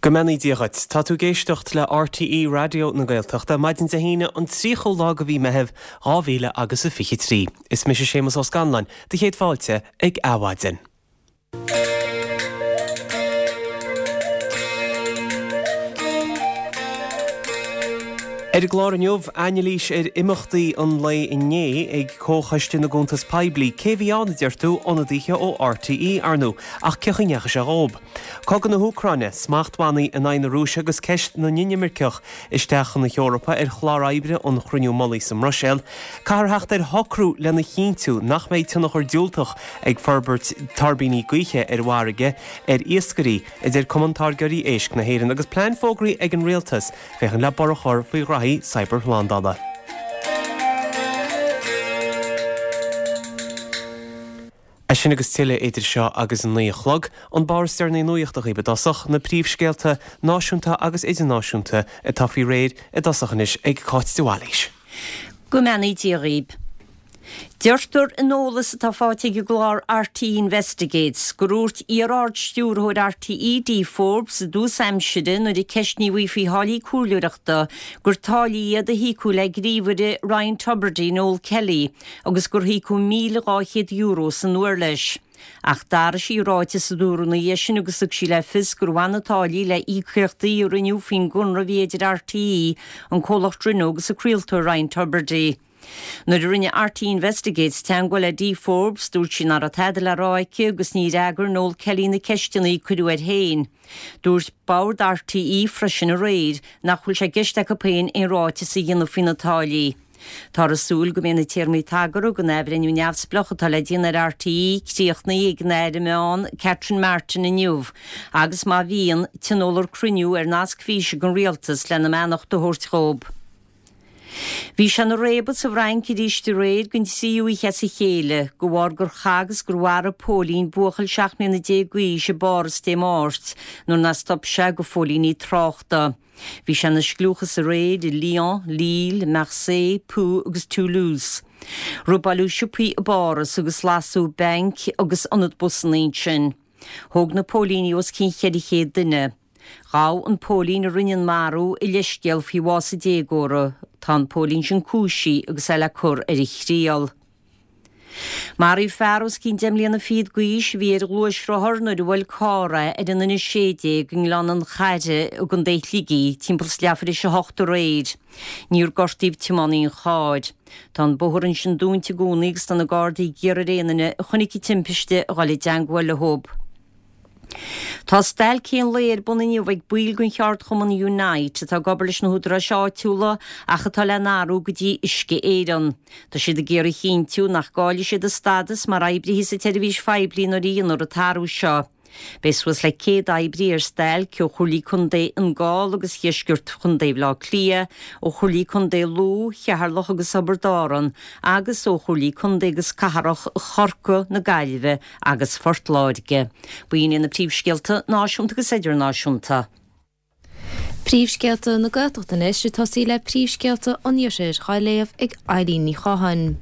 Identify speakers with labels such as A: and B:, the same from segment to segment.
A: Go mbeannaí Dia dhuit. Tá tú ag éisteacht le RTÉ Raidió na Gaeltachta, maidin Dé hAoine an 30ú lá de mhí Meitheamh 2000 agus a 23. Is mise Séamus Ó Scanláin, do chéad fáilte ag Adhmhaidin. Ar an gclár inniu, anailís ar imeachtaí an lae inné ag Comhchoiste na gCuntas Poiblí. Cé a bhí ann, a deir tú? Ionadaithe ó RTÉ, ar ndóigh. Ach cén chaoi a ndeachaigh sé dhób? Cogadh na hÚcráine, smachtbhannaí in aghaidh na Rúise agus ceist na n-inimirceach isteach chun na hEorpa ar chlár oibre an chruinniú mullaigh sa mBruiséil. Caithfear theacht ar shocrú lena chinntiú nach mbeidh tionchar diúltach ag forbairt tuirbíní gaoithe ar an bhfarraige ar iascairí, a deir Cumann Táirgeoirí Éisc na hÉireann, agus plean fógraithe ag an Rialtas féachaint le borradh a chur faoi ghraithí cibearshlándála. É sin agus tuilleadh idir seo agus a 9 a chlog, an barr is deireanaí nuachta dhaoibh i dtosach, na príomhscéalta náisiúnta agus idirnáisiúnta atá faoi réir i dtosach anois ag Cáit de Bhailís.
B: Go mbeannaí Dia dhaoib. Deirtear in eolas atá faighte ag an gclár RTÉ Investigates gur dhúirt iar-Ard-Stiúrthóir RTÉ, Dee Forbes, i dtús aimsire nuair a ceistníodh í faoi tháillí comhairleoireachta gur táillí iad a híocadh le gníomhaire Ryan Tubridy, Noel Kelly, agus gur híocadh €1,200 san uair leis. Ach d'athraigh sí a ráiteas a dúradh ina dhiaidh sin agus thug sí le fios gur bhain na táillí le íocaíochtaí a rinneadh faoin gconradh a bhí idir RTÉ, an comhlacht Renault agus an craoltóir Ryan Tubridy. Nuair a rinne RTÉ Investigates teagmháil le Dee Forbes, dúirt sí nach raibh tada le rá aici agus ní fhreagair Noel Kelly na ceisteanna a cuireadh air féin. Dúirt Bord RTÉ freisin aréir nach bhfuil sé i gceist acu féin aon ráiteas a dhéanamh faoi na táillí. Táthar ag súil go mbeidh na téarmaí tagartha don athbhreithniú neamhspleách atá le déanamh ar RTÉ críochnaithe ag an Aire Meán, Catherine Martin inniu agus má bhíonn, tionólfar cruinniú ar nasc físe den Rialtas lena mbeannacht a thabhairt dhóibh. Bhí sé ina réabadh sa bhFrainc arís aréir den tríú oíche as a chéile, de bharr gur chaith agus gur mharaigh póilín buachaill 17 mbliana d'aois i bPáras Dé Máirt nuair nár stop sé do phóilíní tráchta. Bhí sé ina scliúchas aréir i Lyon, Lille, Marseille, Pau agus Toulouse. Robáileadh siopaí i bPáras agus lasadh bainc agus ionad busanna ansin. Thóg na póilíní os cionn 400 duine. Ghabh an póilín a rinne an marú a leithscéal faoi bhás an déagóra. Tá an póilín sin cúisithe agus é le cur ar a thriail. Maraíodh fear os cionn deich mbliana fichead d'aois a bhí ar ghluaisrothar nuair a bhuail carr é ar an N16 i nGleann an Charraigh i gContae Shligigh timpeall is leathuair tar éis a hocht aréir. Níor gortaíodh tiománaí an chairr. Tá an bóthar ansin dúnta i gcónaí agus tá na Gardaí ag iarraidh ar aon duine a chonaic an timpiste a dhul i dteangmháil leo. Tá stailc aon lae ar bun inniu ag baill den cheardchumann Unite atá ag obair leis na húdaráis áitiúla ach atá le n-athrú go dtí Uisce Éireann. Tá siad ag iarraidh a chinntiú nach gcaillfidh siad a stádas mar oibrithe sa tseirbhís phoiblí nuair a dhéanfar an t-athrú seo. Beidh suas le 100 oibrí ar stailc ó Chomhairlí Contae Fhine Gall agus Dheisceart Chontae Bhaile Átha Cliath, ó Chomhairlí Contae Lú, Cheatharlach agus Thiobraid Árann agus ó Chomhairlí Contae agus Cathrach Chorcaí, na Gaillimhe agus Phort Láirge. B'in iad na príomhscéalta náisiúnta agus idirnáisiúnta.
C: Príomhscéalta na Gaeltachta anois, ag tosaí le príomhscéalta an Iarthair, á léamh ag Eilín Ní Chatháin.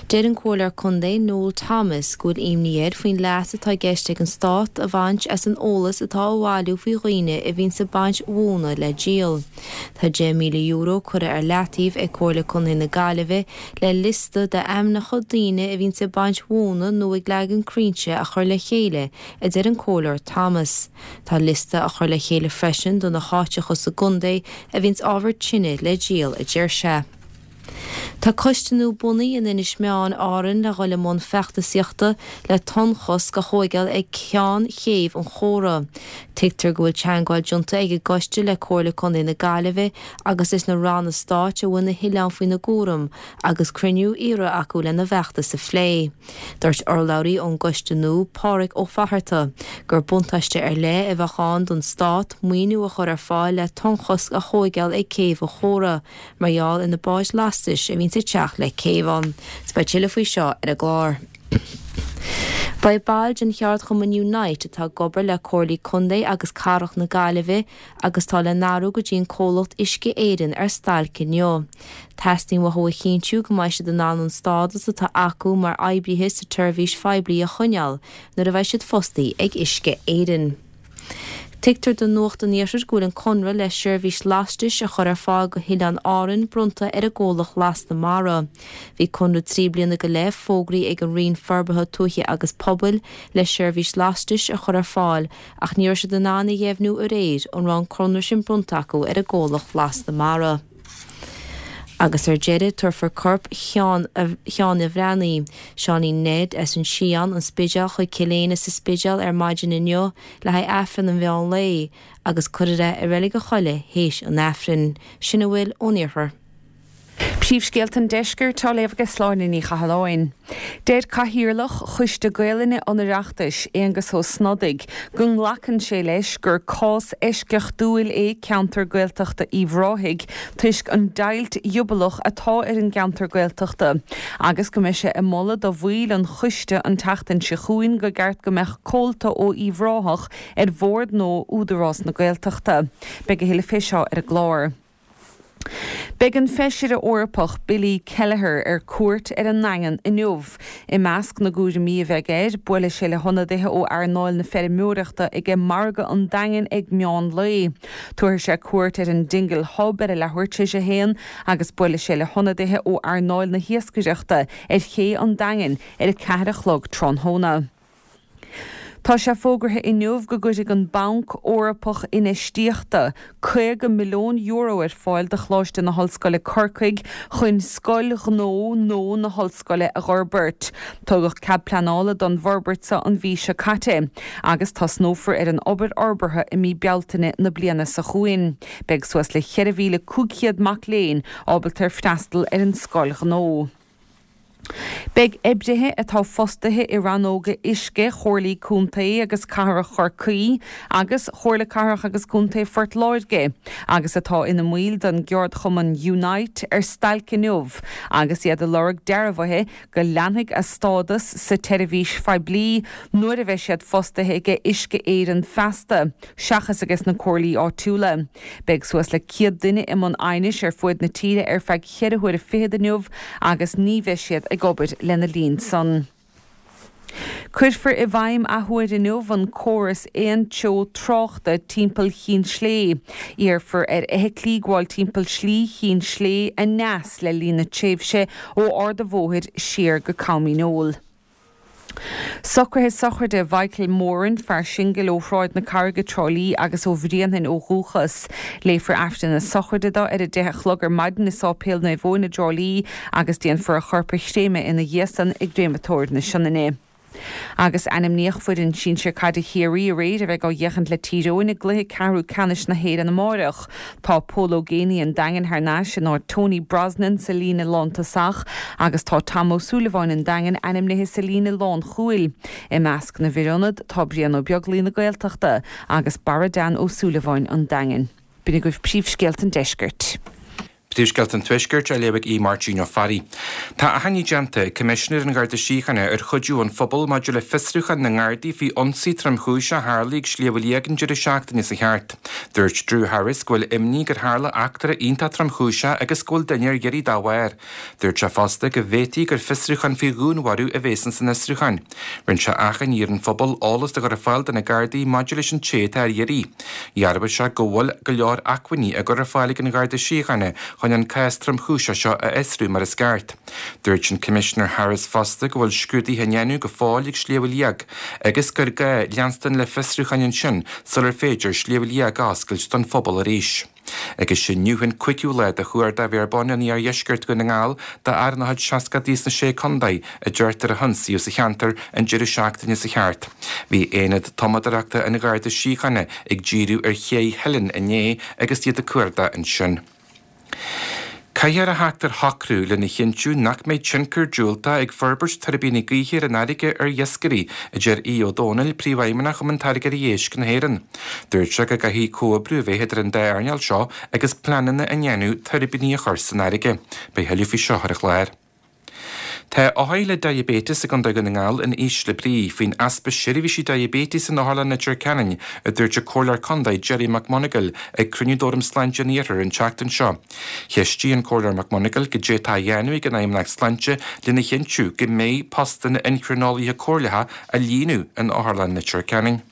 C: Deir an Comhairleoir Contae Noel Thomas go bhfuil imní air faoin leas atá i gceist ag an Stát a bhaint as an eolas atá á bhailiú faoi dhaoine a bhíonns ag baint mhóna le díol. Tá €10,000 curtha ar leataobh ag Comhairle Contae na Gaillimhe le liosta d'ainmneacha daoine a bhíonns ag baint mhóna nó ag leagan crainnte a chur le chéile, a deir an Comhairleoir Thomas. Tá liosta á chur le chéile freisin do na háiteacha sa gcontae a bhíonns ábhar tine le díol, a deir sé. Tá coiste nua bunaithe in Inis Meáin, Árainn le dhul i mbun feachtasaíochta le tonnchosc a thóigeáil ag ceann chéibh an Chóra. Tuigtear go bhfuil teangmháil déanta ag an gcoiste le Comhairle Contae na Gaillimhe agus leis na ranna stáit a bhfuil na hoileáin faoina gcúram agus cruinniú iarrtha acu lena bhfeachtas a phlé. Dúirt urlabhraí ón gcoiste nua, Pádhraic Ó Fatharta, gur buntáiste ar leith a bheadh ann don stát maoiniú a chur ar fáil le tonnchosc a thóigeáil ag Céibh an Chóra mar gheall ar na báid lastais a bhíonns ag teacht le céibh ann. 'S beidh tuilleadh faoi seo ar an gclár. Beidh baill den cheardchumann Unite atá ag obair le Comhairlí Contae agus Cathrach na Gaillimhe agus tá le n-athrú go dtí an comhlacht Uisce Éireann ar stailc inniu. Teastaíonn uathu a chinntiú go mbeidh siad in ann an stádas atá acu mar oibrithe sa tseirbhís phoiblí a choinneáil nuair a bheidh siad fostaí ag Uisce Éireann. Tuigtear do Nuacht an Iarthair go bhfuil an conradh le seirbhís lastais a chur ar fáil go hOileáin Árann bronnta ar an gcomhlacht Lasta Mara. Bhí conradh 3 bliana go leith fógraithe ag an Roinn Forbartha Tuaithe agus Pobail le seirbhís lastais a chur ar fáil ach ní raibh siad in ann a dheimhniú aréir an raibh an conradh sin bronnta acu ar an gcomhlacht Lasta Mara. Agus ar deireadh, tabharfar corp Sheáin a' Bhreathnaigh, Seáinín Ned, as an Sián, An Spidéal chuig Cill Éinne sa Spidéal ar maidin inniu le haghaidh Aifreann an mheán lae, agus cuirfear é i Reilig a' Choilligh théis an Aifrinn. Sin a bhfuil ón Iarthar.
D: Príomhscéalta an Deiscirt á léamh ag Sláine Ní Chathalláin. Deir Cathaoirleach Choiste Gaelainne an Oireachtais, Aengus Ó Snodaigh, go nglacann sé leis gur cás eisceachtúil é ceantar Gaeltachta Uíbh Ráthaigh toisc an deighilt ghiobalach atá ar an gceantar Gaeltachta agus go mbeidh sé ag moladh do bhaill an choiste an tseachtain seo chugainn gur ceart go mbeadh comhalta ó Uíbh Ráthach ar bhord nua Údarás na Gaeltachta. Beidh a thuilleadh fé seo ar an gclár. Beidh an Feisire Eorpach Billy Kelleher ar cuairt ar an nDaingean inniu. I measc na gcúraimí a bheidh air, buailfidh sé le hionadaithe ó earnáil na feirmeoireachta aige Margadh an Daingin ag meán lae. Tabharfaidh sé cuairt ar an Dingle Hub ar a leathuair tar éis a haon agus buailfidh sé le hionadaithe ó earnáil na hiascaireachta ar ché an Daingin ar a ceathair a chlog tráthnóna. Tá sé fógartha inniu go gcuirfidh an Banc Eorpach Infheistíochta €50 milliún ar fáil do Choláiste na hOllscoile Corcaigh chun Scoil Ghnó nua na hOllscoile a dh'fhorbairt. Tugadh cead pleanála don bhforbairt seo an mhí seo caite agus tosnófar ar an obair fhorbartha i mí Bealtaine na bliana seo chugainn. Beidh suas le 4,500 mac léinn ábalta ar freastal ar an Scoil Ghnó. Beidh oibrithe atá fostaithe i rannóga uisce Chomhairlí Contae agus Cathrach Chorcaí agus Chomhairle Cathrach agus Contae Phort Láirge agus atá ina mbaill den gceardchumann Unite ar stailc inniu agus iad ag lorg dearbhuithe go leanfaidh a stádas sa tseirbhís phoiblí nuair a bheidh siad fostaithe aige Uisce Éireann feasta seachas ages na comhairlí áitiúla. Beidh suas le 100 duine i mbun aighnis ar fuaid na tíre ar feadh cheithre huaire fichead inniu agus ní bheidh siad ag obair lena linn san. Cuirfear i bhfeidhm athuair inniu an córas aontreo tráchta timpeall Chinn Slé. Iarrfar ar fheithiclí gabháil timpeall Slí Chinn Slé aneas le linn na tréimhse ó Ard a' Bhóthair siar go Com Dhíneol. Socruithe sochraide Mhichael Moran, fear singil ó Shráid na Carraige, Trá Lí agus ó Bhréanainn ó dhúchas. Léifear Aifreann na sochraide dó ar a 10 a chlog ar maidin i Sáipéal Naomh Eoin i dTrá Lí agus déanfar a chorp a chréamadh ina dhiaidh san i gCréamatóir na Sionainne. Agus ainmníodh foireann sinsir caide Chiarraí aréir a bheidh á fhéachaint le Tír Eoghain i gcluiche ceathrú ceannais na hÉireann amáireach. Tá Pól Ó Géibheannaigh an Daingin thar n-ais in áit Tony Brosnan sa líne lántosach agus tá Tom Ó Súilleabháin an Daingin ainmnithe sa líne lánchúil. I measc na bhfir ionad tá Brian Ó Beaglaoi na Gaeltachta agus Barra Dan Ó Súilleabháin an Daingin. B'in agaibh príomhscéalta an deiscirt.
E: Príomhscéalta an Tuaiscirt á léamh ag Aodh Máirtín Ó Fearraigh. Tá achainí déanta ag Coimisinéir an Gharda Síochána ar chuidiú ón phobal maidir le fiosrúchán na nGardaí faoi ionsaí tromchúiseach a tharlaigh ag Sliabh Liag an deireadh seachtaine seo thart. Dúirt Drew Harris go bhfuil imní gur tharla eachtra iontach tromchúiseach agus go bhfuil duine ar iarraidh dá bharr. Dúirt sé fosta go bhféadfaí gur fiosrúchán faoi dhúnmharú a bhéas ins an fhiosrúchán. Rinne sé achainí ar an phobal eolas do chur ar fáil do na Gardaí maidir leis an té atá ar iarraidh. Dhearbhaigh sé go bhfuil go leor acmhainní á gcur ar fáil ag an Gharda Síochána chun an cás tromchúiseach seo a fhiosrú mar is ceart. Dúirt an Coimisinéir Harris fosta go bhfuil scrúduithe á ndéanamh go fóill ag Sliabh Liag agus gur gá leanstan le fiosrúcháin ansin sular féidir Sliabh Liag a oscailt don phobal arís. Agus inniu an cúigiú lá de chuardach Bhéar Bán in iardheisceart Dhún na nGall d'fhear ina chuid seascadaí sna Sé Contae a deirtear a hionsaíodh sa cheantar an deireadh seachtaine seo thart. Bhí aonad tumadóireachta an Gharda Síochána ag díriú ar Ché Theilinn inné agus iad ag cuardach ansin. Caithfear a theacht ar shocrú lena chinntiú nach mbeidh tionchar diúltach ag forbairt tuirbíní gaoithe ar an fharraige ar iascairí, a deir Aodh Ó Domhnaill, Príomhfheidhmeannach Chumann Táirgeoirí Éisc na hÉireann. Dúirt sé go gcaithfidh comhoibriú a bheith idir an dá earnáil seo agus pleananna á ndéanamh tuirbíní a chur san fharraige. Beidh a thuilleadh faoi seo ar an chlár. Tá othair le diaibéiteas i gContae Dhún na nGall in ísle brí faoin easpa seirbhísí diaibéitis in Otharlann Leitir Ceanainn, a dúirt an Comhairleoir Contae Gerry McMonagall ag cruinniú d'Fhóram Sláinte an Iarthair an tseachtain seo. Cheistigh an Comhairleoir McMonagall goidé atá á dhéanamh ag an Fheidhmeannacht Sláinte lena chinntiú go mbeidh postanna inchrineolaithe comhairleacha á líonadh in Otharlann Leitir Ceanainn.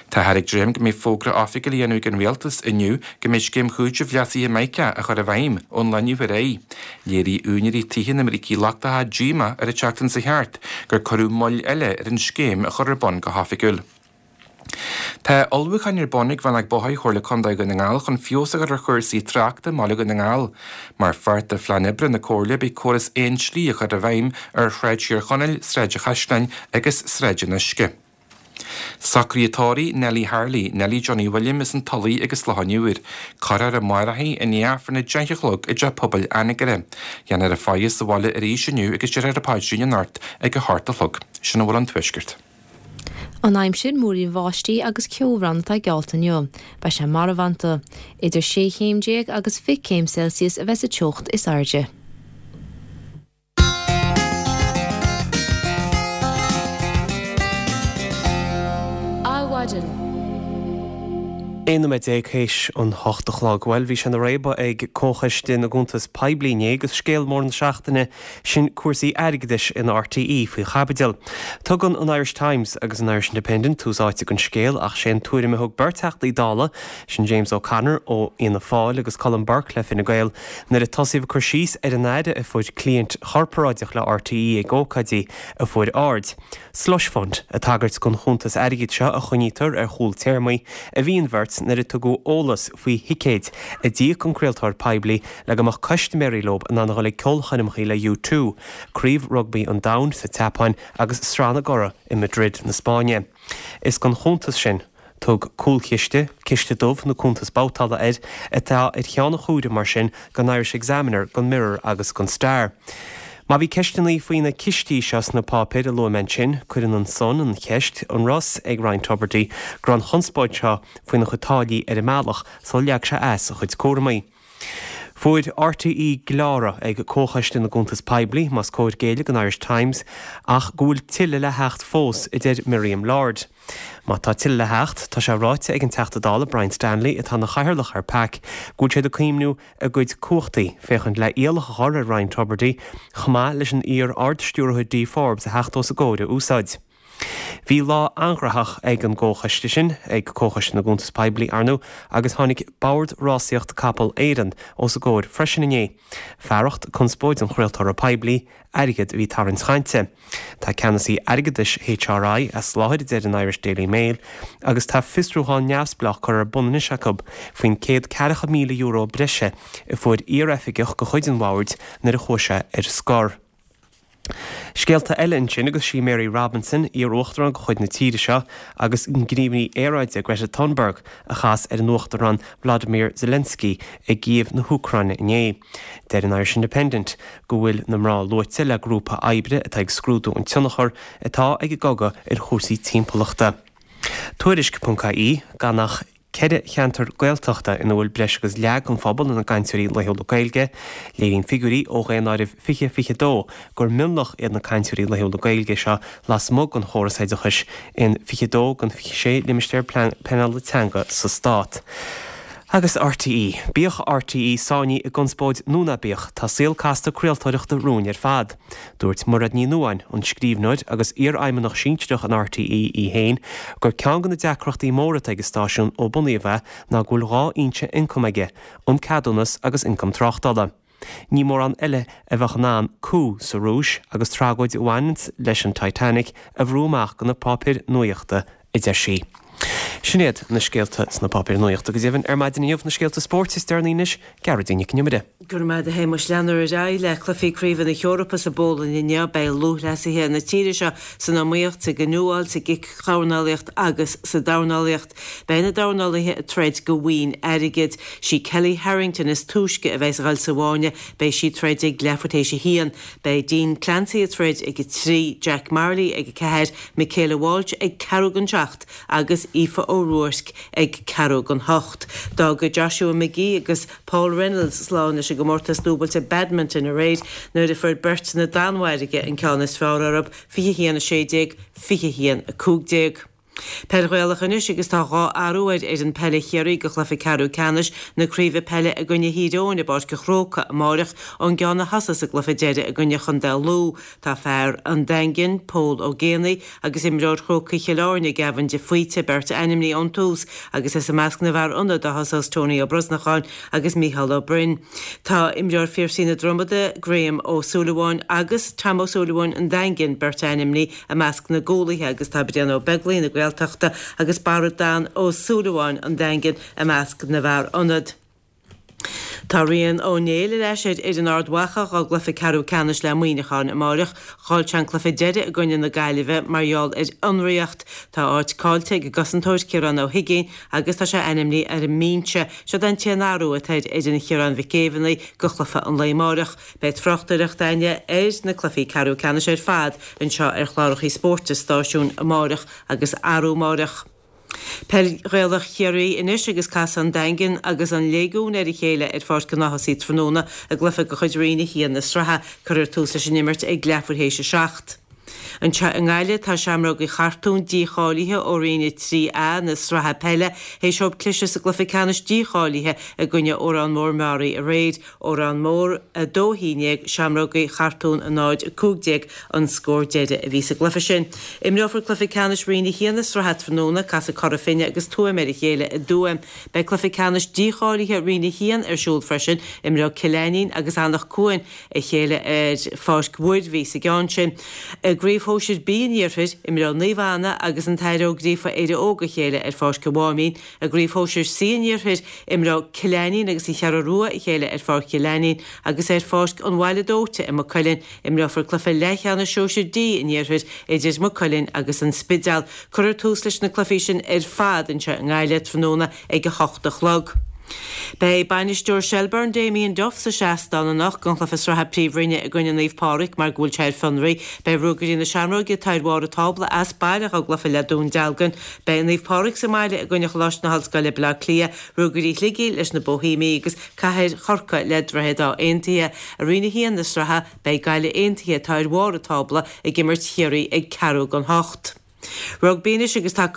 E: Táthar ag dréim go mbeidh fógra oifigiúil á dhéanamh ag an Rialtas inniu go mbeidh scéim chúitimh leasaithe MICA á chur i bhfeidhm ón lá inniu ar aghaidh. Léirigh úinéirí tithe na mbrící lochtacha díomá ar an tseachtain seo thart gur cuireadh moill eile ar an scéim a chur ar bun go hoifigiúil. Tá ullmhúcháin ar bun ag Rannóg Bóithre Chomhairle Contae Dhún na nGall chun feabhas a chur ar chúrsaí tráchta i mbaile Dhún na nGall. Mar pháirt de phlean oibre na Comhairle beidh córas aon slí á chur i bhfeidhm ar Shráid Thír Chonaill, Sráid an Chaisleáin agus Sráid an Uisce. Socruithe tórraimh Nellie Harley, Nellie Johnny William as an Tulaigh agus Loch an Iúir. Cuirfear amárach í i ndiaidh Aifreann 10 a chlog i dTeach Pobail Anagaire. Déanfar an faire sa bhaile arís inniu agus déarfar an paidrín anocht ag 8 a chlog. Sin a bhfuil ón Tuaisceart.
C: An aimsir, Múirín bháistí agus ceobhrán atá geallta inniu. Beidh sé marbhánta. Idir 16 chéim agus 20 céim Celsius a bheas an teocht is airde.
A: Adhmhaidin. 11 nóiméad théis an 8 a chlog. Bhuel, bhí sé ina réabadh ag Comhchoiste na gCuntas Poiblí inné agus scéal mór na seachtaine, sin cúrsaí airgeadais in RTÉ, faoi chaibidil. Tugann an Irish Times agus an Irish Independent tús áite don scéal ach sé an tuairim a thug beirt Theachtaí Dála, sin James O'Connor ó Fhianna Fáil agus Colm Burke le Fine Gael, Nuair a tosaíodh ag cur síos ar an aire a fuair cliaint chorparáideach le RTÉ ag ócáidí a fuair aird, slush fund, ag tagairt don chuntas airgid seo a choinnítear ar chúl téarmaí, a bhí an bheirt nuair a tugadh eolas faoi thicéid a d'íoc an craoltóir poiblí le go mbeadh custaiméirí leo in ann a dhul ag ceolchoirmeacha le U2, Craobh Rugbaí an Domhain sa tSeapáin agus Sraith na gCuradh i Madrid na Spáinne. Is don chuntas sin. Tugadh cúlchiste, ciste dubh nó cuntas babhtála air, atá ar cheann an chúraim mar sin don Irish Examiner, don Mirror agus don Star. Má bhí ceisteanna faoi na cistí seo sna páipéir a luaigh mé ansin, cuireann an Sun an cheist, an raibh a fhios ag Ryan Tubridy go raibh an chonspóid seo faoina chuid táillí ar an mbealach sular leag sé as a chuid cúramaí? Fuair RTÉ gleáradh ag Comhchoiste na gCuntas Poiblí, más cóir géilleadh don Irish Times, ach go bhfuil tuilleadh le theacht fós, a deir Miriam Lord. Má tá tuilleadh le theacht, tá sé ráite ag an Teachta Dála Brian Stanley, atá ina chathaoirleach ar PAC, go bhfuil siad ag cuimhniú a gcuid cumhachtaí féachaint le iallach a chur ar Ryan Tubridy, chomh maith leis an iar-Ard-Stiúrthóir Dee Forbes a theacht os a gcomhair a úsáid. Bhí lá an-ghnóthach ag an gcomhchoiste sin, ag Comhchoiste na gCuntas Poiblí, ar ndóigh, agus tháinig Bord Rásaíocht Capall Éireann os a gcomhair freisin inné. Fearacht conspóid an chraoltóra poiblí, airgead a bhí ag tarraingt chainte. Tá ceannasaí airgeadais HRI as láthair, a deir an Irish Daily Mail, agus tá fiosrúchán neamhspleách curtha ar bun anois acu faoin €140,000 breise a fuair iar-oifigeach de chuid an bhoird nuair a chuaigh sé ar scor. Scéalta eile ansin agus sí Mary Robinson, iar-uachtarán de chuid na tíre seo, agus an gníomhaí aeráide Greta Thunberg a chas ar an Uachtarán Volodymyr Zelensky i gCív na hÚcráine inné. Deir an Irish Independent go bhfuil na mná luaite le grúpa oibre atá ag scrúdú an tionchar atá ag an gcogadh ar chúrsaí timpeallachta. Tuairisc.ie, Gan ach 4 cheantar Gaeltachta ina bhfuil breis agus leath den phobal ina gcainteoirí laethúla Gaeilge. Léiríonn figiúirí ó Dhaonáireamh 2022 gur mionlach iad na cainteoirí laethúla Gaeilge seo lasmuigh den chóras oideachais in 22 den 26 limistéar pleanála teanga sa stát. Agus RTÉ. Bíodh RTÉ sáinnithe i gconspóid nó ná bíodh, tá saol casta craoltóireachta romhainn ar fad. Dúirt Mairéad Ní Nuadháin, an scríbhneoir agus iarfheidhmeannach sinsearach in RTÉ í féin, gur ceann de na deacrachtaí móra atá ag an stáisiún ó bunaíodh é ná go bhfuil dhá fhoinse ioncaim aige, an ceadúnas agus ioncam tráchtála. Ní mórán eile a bheadh in ann coup sa Rúis agus tragóid a bhaineanns leis an Titanic a bhrú amach de na páipéir nuaíochta, a deir sí. Sin iad na scéalta sna páipéir nuaíochta go deimhin ar maidin inniu, na scéalta spóirt is deireanaí anois, Gearóidín Nic an Iomaire.
F: Go raibh maith agat a Shéamuis. Leanfar ar aghaidh le cluichí craoibhe na hEorpa sa bPólainn inniu. Beidh lúthchleasaithe na tíre seo san iomaíocht, sa gcanúáil, sa gcic-dhornálaíocht agus sa dornálaíocht. Beidh na dornálaithe ag troid do bhoinn airgid. Sí Kellie Harrington is túisce a bheas ag dul sa bhfáinne. Beidh sí ag troid ag leathuair tar éis a haon. Beidh Dean Clancy ag troid ag a 3, Jack Marley ag a 4, Michaela Walsh ag ceathrú don seacht agus Aoife O'Rourke ag ceathrú don hocht. D'fhága Joshua McGee agus Paul Reynolds slán leis an gcomórtas dúbailte badminton aréir nuair a fuair beirt na Danmhairge an ceann is fearr orthu, 21 16, 21 15. Peil Ghaelach anois agus tá 2 athrú ar fhoireann peile Chiarraí do chluiche ceathrú ceannais na craoibhe peile i gcoinne Thír Eoghain i bPáirc an Chrócaigh amáireach ón gceann a thosaigh sa gcluiche deiridh i gcoinne Chontae Lú. Tá fear an Daingin, Pól Ó Géibheannaigh, agus imreoir Chrócaigh Chill Airne, Gavin de Faoite, beirt ainmnithe ón tús agus is i measc na bhfear ionaid a thosós Tony Ó Brosnacháin agus Mícheál Ó Broin. Tá imreoir Phiarsaigh na Dromoda, Graham Ó Súilleabháin agus Tom Ó Súilleabháin an Daingin, beirt ainmnithe i measc na gcúlaithe agus tá Brian Ó Beaglaoich na Gaeltachta agus Barra Dan Ó Súilleabháin an Daingin i measc na bhfear ionad. Tá Rian Ó Néill ar ais ar fhoireann Ard Mhacha dá gcluiche ceathrú ceannais le Muineachán amáireach. Chaill sé an cluiche deiridh i gcoinne na Gaillimhe mar gheall ar fhionraíocht. Tá áit caillte ag an gcosantóir Ciarán Ó hUiginn agus tá sé ainmnithe ar an mbinse. Seod é an t-aon athrú atá ar fhoireann Chiaráin Mhic Géibheannaigh do chluiche an lae amáireach. Beidh tráchtaireacht againne ar na cluichí ceathrú ceannais ar fad anseo ar chlárachaí spóirt an stáisiúin amáireach agus arú amáireach. Peil Ghaelach Chiarraí anois agus casfaidh an Daingean agus an Léigiún ar a chéile ar Pháirc an Ághasaigh tráthnóna i gcluiche de chuid Roinn 1 na sraithe. Cuirfear tús leis an imirt ag leathuair théis a 7. Anseo i nGaillimh tá Seamrógaí Chartúin dícháilithe ó Roinn 3A na sraithe peile théis dóibh cliseadh sa gcluiche ceannais dícháilithe i gcoinne Órán Mór Meáraí aréir. Órán Mór 2, 11, Seamrógaí Chartúin 0, 15 an scór deiridh a bhí sa gcluiche sin. Imreofar cluiche ceannais Roinn 1 na sraithe tráthnóna, casfaidh Cora Finne agus Tuaim ar a chéile i dTuaim. Beidh cluiche ceannais dícháilithe Roinn 1 ar siúl freisin, imreoidh Cill Ainnín agus Anach Cuain a chéile ar Pháirc Mhuirbhigh sa gceann sin. I gCraobh Shóisir B an Iarthair, imreoidh Naomh Anna agus an tAire Ó Gríofa Éire Óg a chéile ar Pháirc an Mháimín. I gCraobh Shóisir C an Iarthair, imreoidh Cill Ainnín agus an Cheathrú Rua a chéile ar Pháirc Chill Ainnín agus ar Pháirc an Bhaile Dóite i Maigh Cuilinn, imreofar cluiche leathcheannais Sóisir D an Iarthair idir Maigh Cuilinn agus an Spidéal. Cuirfear tús leis na cluichí sin ar fad anseo i nGaillimh tráthnóna ag 8 a chlog. Beidh bainisteoir Shelbourne Damien Duff sa seastán anocht don chluiche sraithe Príomhroinne i gcoinne Naomh Pádraig mar go bhfuil sé ar fionraí. Beidh Ruagairí na Seamróige atá ar bharr an tábla as baile dá gcluiche le Dún Dealgan. Beidh Naomh Pádraig sa mbaile i gcoinne Choláiste na hOllscoile Baile Átha Cliath, Ruagairí Shligigh leis na Boihéamaigh agus Cathair Chorcaí le Droichead Átha Aontaithe. I Roinn 1 na sraithe, beidh Gaillimh Aontaithe, atá ar bharr an tábla, ag imirt Chiarraí ag ceathrú don hocht. Rugbaí anois agus tá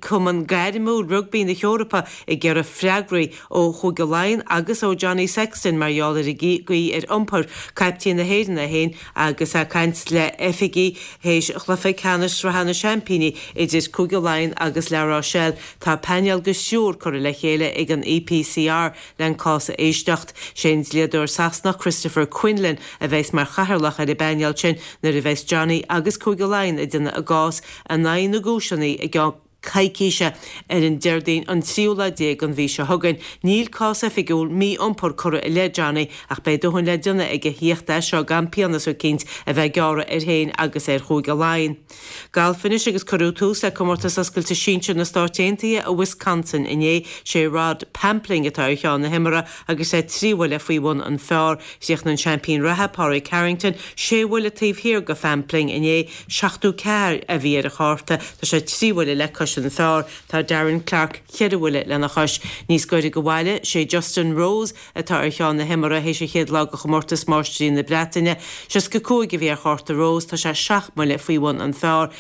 F: Cumann Gairmiúil Rugbaí na hEorpa ag iarraidh freagraí ó Chúige Laighean agus ó Johnny Sexton mar gheall ar an gcaoi ar iompair caiptín na hÉireann é féin agus é ag caint le oifigigh théis chluiche ceannais Sraithe na Seaimpíní idir Cúige Laighean agus La Rochelle. Tá painéal de thriúr curtha le chéile ag an EPCR le an cás a éisteacht. Sé an dlíodóir Sasanach Christopher Quinlan a bheas mar chathaoirleach ar an bpainéal sin nuair a bheas Johnny agus Cúige Laighean ag déanamh a gcás in aghaidh na gcúiseanna i gceann coicíse, ar an Déardaoin an tríú lá déag den mhí seo chugainn. Níl cás oifigiúil mí-iompair curtha i leith Johnny ach beidh a dhóthain le déanamh aige thíocht as seo gan pionós eicínt a bheith gearrtha air féin agus ar Chúige Laighean. Galf anois agus cuireadh tús le Comórtas Oscailte Sinsir na Stáit Aontaithe i Wisconsin inné. Sé Rod Pampling atá ar cheann na himeartha agus é trí bhuille faoi bhun an phar. Chríochnaigh an seaimpín reatha, Pádraig Harrington, sé bhuille taobh thiar de Phampling inné. 74 a bhí ar a chárta. Tá sé trí bhuille le cois an phar. Tá Darren Clarke cheithre bhuille lena chois. Níos gaire do bhaile, sé Justin Rose atá ar cheann na himeartha théis an chéad lá de chomórtas Máistrí na Breataine. 65 a bhí ar chárta Rose. Tá sé seacht mbuille faoi bhun an phar.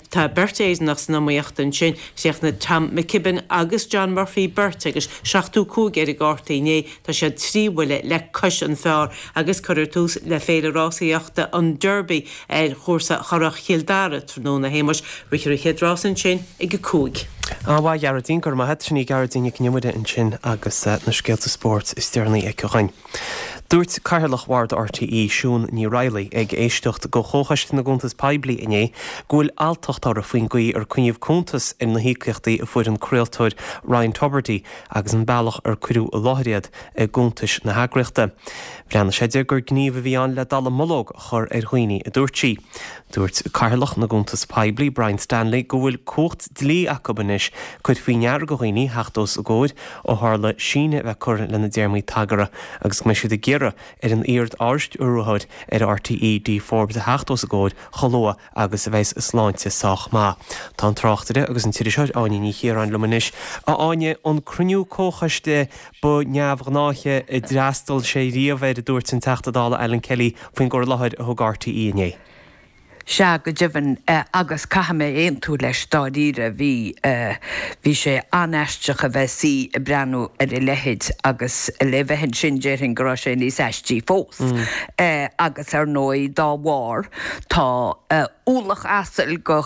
F: Tá beirt Éireannach san iomaíocht ansin. Chríochnaigh Tom McKibbin agus John Murphy beirt agus 75 ar a gcártaí inné. Tá siad trí bhuille le cois an phar agus cuirfear tús le féile rásaíochta an Derby ar chúrsa Churrach Chill Dara tráthnóna, a Shéamais. Rithfear an chéad rás ansin ag a 5.
A: An-mhaith, a Ghearóidín, go raibh maith agat. Sin í Gearóidín Nic an Iomaire ansin agus na scéalta spóirt is deireanaí aici dhuinn. Dúirt Cathaoirleach Bhord RTÉ, Siún Ní Raghallaigh, ag éisteacht do Chomhchoiste na gCuntas Poiblí inné go bhfuil alltacht uirthi faoin gcaoi ar coinníodh cuntas ar na híocaíochtaí a fuair an craoltóir Ryan Tubridy agus an bealach ar cuireadh i láthair iad i gcuntais na heagraíochta. Bhreathnaigh sé di gur gníomh a bhí ann le dallamullóg a chur ar dhaoine, a dúirt sí. Dúirt Cathaoirleach na gCuntas Poiblí, Brian Stanley, go bhfuil cumhacht dlí acu anois cur faoi ndeara do dhaoine theacht os a gcomhair ó tharla síneadh a bheith curtha lena dtéarmaí tagartha agus go mbeidh siad ag iarraidh ar an iar-Ardstiúrthóir ar RTÉ, Dee Forbes, a theacht os a gcomhair chomh luath agus a bheas a sláinte sách maith. Tá an tráchtaire agus an t-iriseoir Áine Ní Chiaráin liom anois. A Áine, an cruinniú comhchoiste ba neamhghnáiche a d'fhreastail sé riamh air, a dúirt an Teachta Dála Alan Kelly faoin gcur i láthair a thug RTÉ inné.
G: Sea, go deimhin, agus caithfidh mé aontú leis, dáiríre, bhí, bhí sé an-aisteach a bheith suí ag breathnú ar a leithéid agus le bheith ansin déarfainn go raibh sé níos aistí fós. Agus ar ndóigh, dá bharr, tá ualach asail de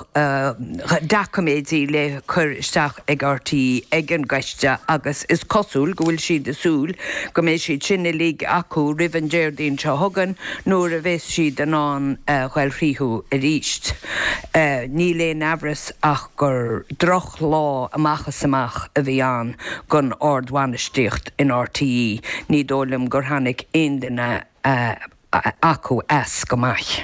G: dhoiciméidí le cur isteach ag RTÉ ag an gcoiste agus is cosúil go bhfuil siad ag súil go mbeidh siad sin uilig acu roimh an Déardaoin seo chugainn nuair a bheas siad in ann a ghoil thríothu arís. Níl aon amhras ach gur drochlá amach is amach a bhí ann don ardbhainistíocht in RTÉ. Ní dóigh liom gur tháinig aon duine acu as go maith.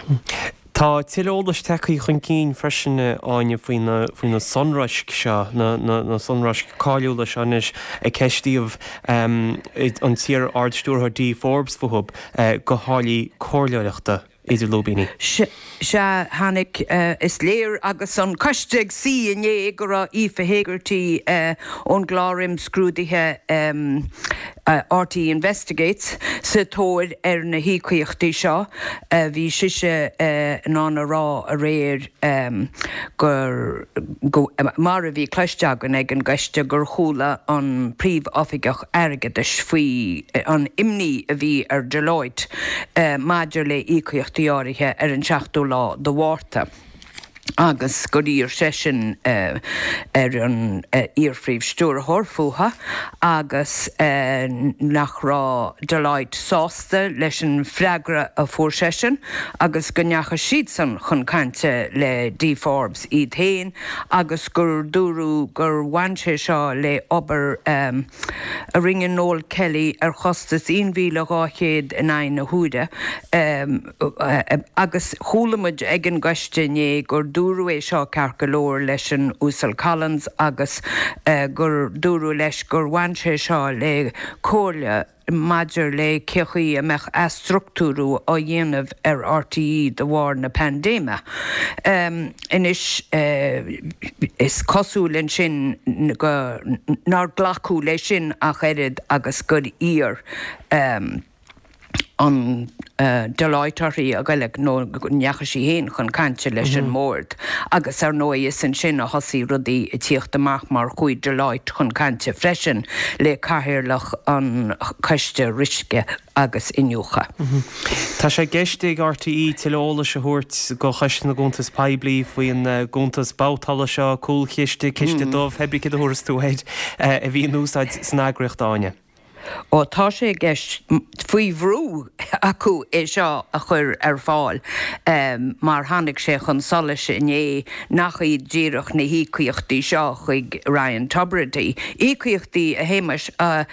A: Tá tuilleadh eolais tagtha chun cinn freisin, a Áine, faoi na, faoi na sonraisc seo, na, na, na sonraisc cáiliúla seo anois a ceistíodh an t-iar-Ard-Stiúrthóir Dee Forbes fúthu, do tháillí comhairleoireachta idir lúibíní.
G: Sea, tháinig, is léir agus an coiste ag suí inné go raibh Aoife Hegarty ón gclár imscrúdaithe RTÉ Investigates sa tóir ar na híocaíochtaí seo. Bhí sise in ann a rá aréir gur, mar a bhí cloiste againn ag an gcoiste, gur chuala an Príomhoifigeach Airgeadais faoi an imní a bhí ar Deloitte maidir le híocaíochtaí áirithe ar an seachtú lá de Mhárta agus gur iarr seisean ar an iar-phríomh-stiúrthóir fúthu agus nach raibh Deloitte sásta leis an bhfreagra a fuair seisean agus go ndeachaigh siadsan chun cainte le Dee Forbes iad féin agus gur dúradh gur bhain sé seo le obair a rinne Noel Kelly ar chostas 1,200 in aghaidh na huaire agus chuala muid ag an gcoiste inné gur dúradh é seo ceart go leor leis an Uasal Collins agus gur dúradh leis gur bhain sé seo le comhairle maidir le cé chaoi a mbeadh athstruchtúrú á dhéanamh ar RTÉ de bharr na paindéime. Anois, is cosúil ansin go nár glacadh leis sin ach oiread agus gur iarr an Deloitte uirthi a ghoil nó go ndeachaigh sí féin chun cainte leis an mbord agus ar ndóigh is ansin a thosaigh rudaí ag tíocht amach mar chuaigh Deloitte chun cainte freisin le cathaoirleach an Choiste Riosca agus Iniúchadh.
A: Tá sé i gceist ag RTÉ tuilleadh eolais a thabhairt do Choiste na gCuntas Poiblí faoin gcuntas babhtála seo, cúlchiste, ciste dubh, pé brí céard a thabharfas tú air, a bhí in úsáid san eagraíocht, Áine.
G: Ó tá sé i gceist, faoi bhrú acu é seo a chur ar fáil mar tháinig sé chun solais inné nach iad díreach na híocaíochtaí seo chuig Ryan Tubridy, íocaíochtaí, a Shéamais, a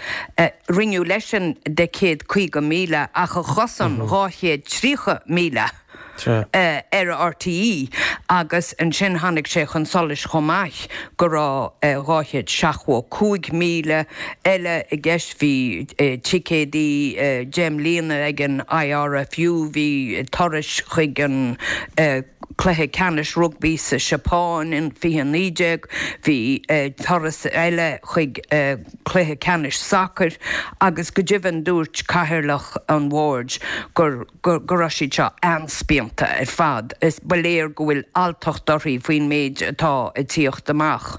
G: rinneadh leisean de 150,000 ach a chosain 230,000. ar RTÉ agus ansin tháinig sé chun solais chomh maith go raibh 275,000 eile i gceist. Bhí ticéadaí 10 mbliana ag an IRFU, bhí turais chuig an cluiche ceannais rugbaí sa Seapáin in 2019, bhí turas eile chuig cluiche ceannais sacair agus go deimhin dúirt cathaoirleach an bhoird gur go raibh siad seo an-spíonta ar fad. Is ba léir go bhfuil alltacht uirthi faoin méid atá ag tíocht amach.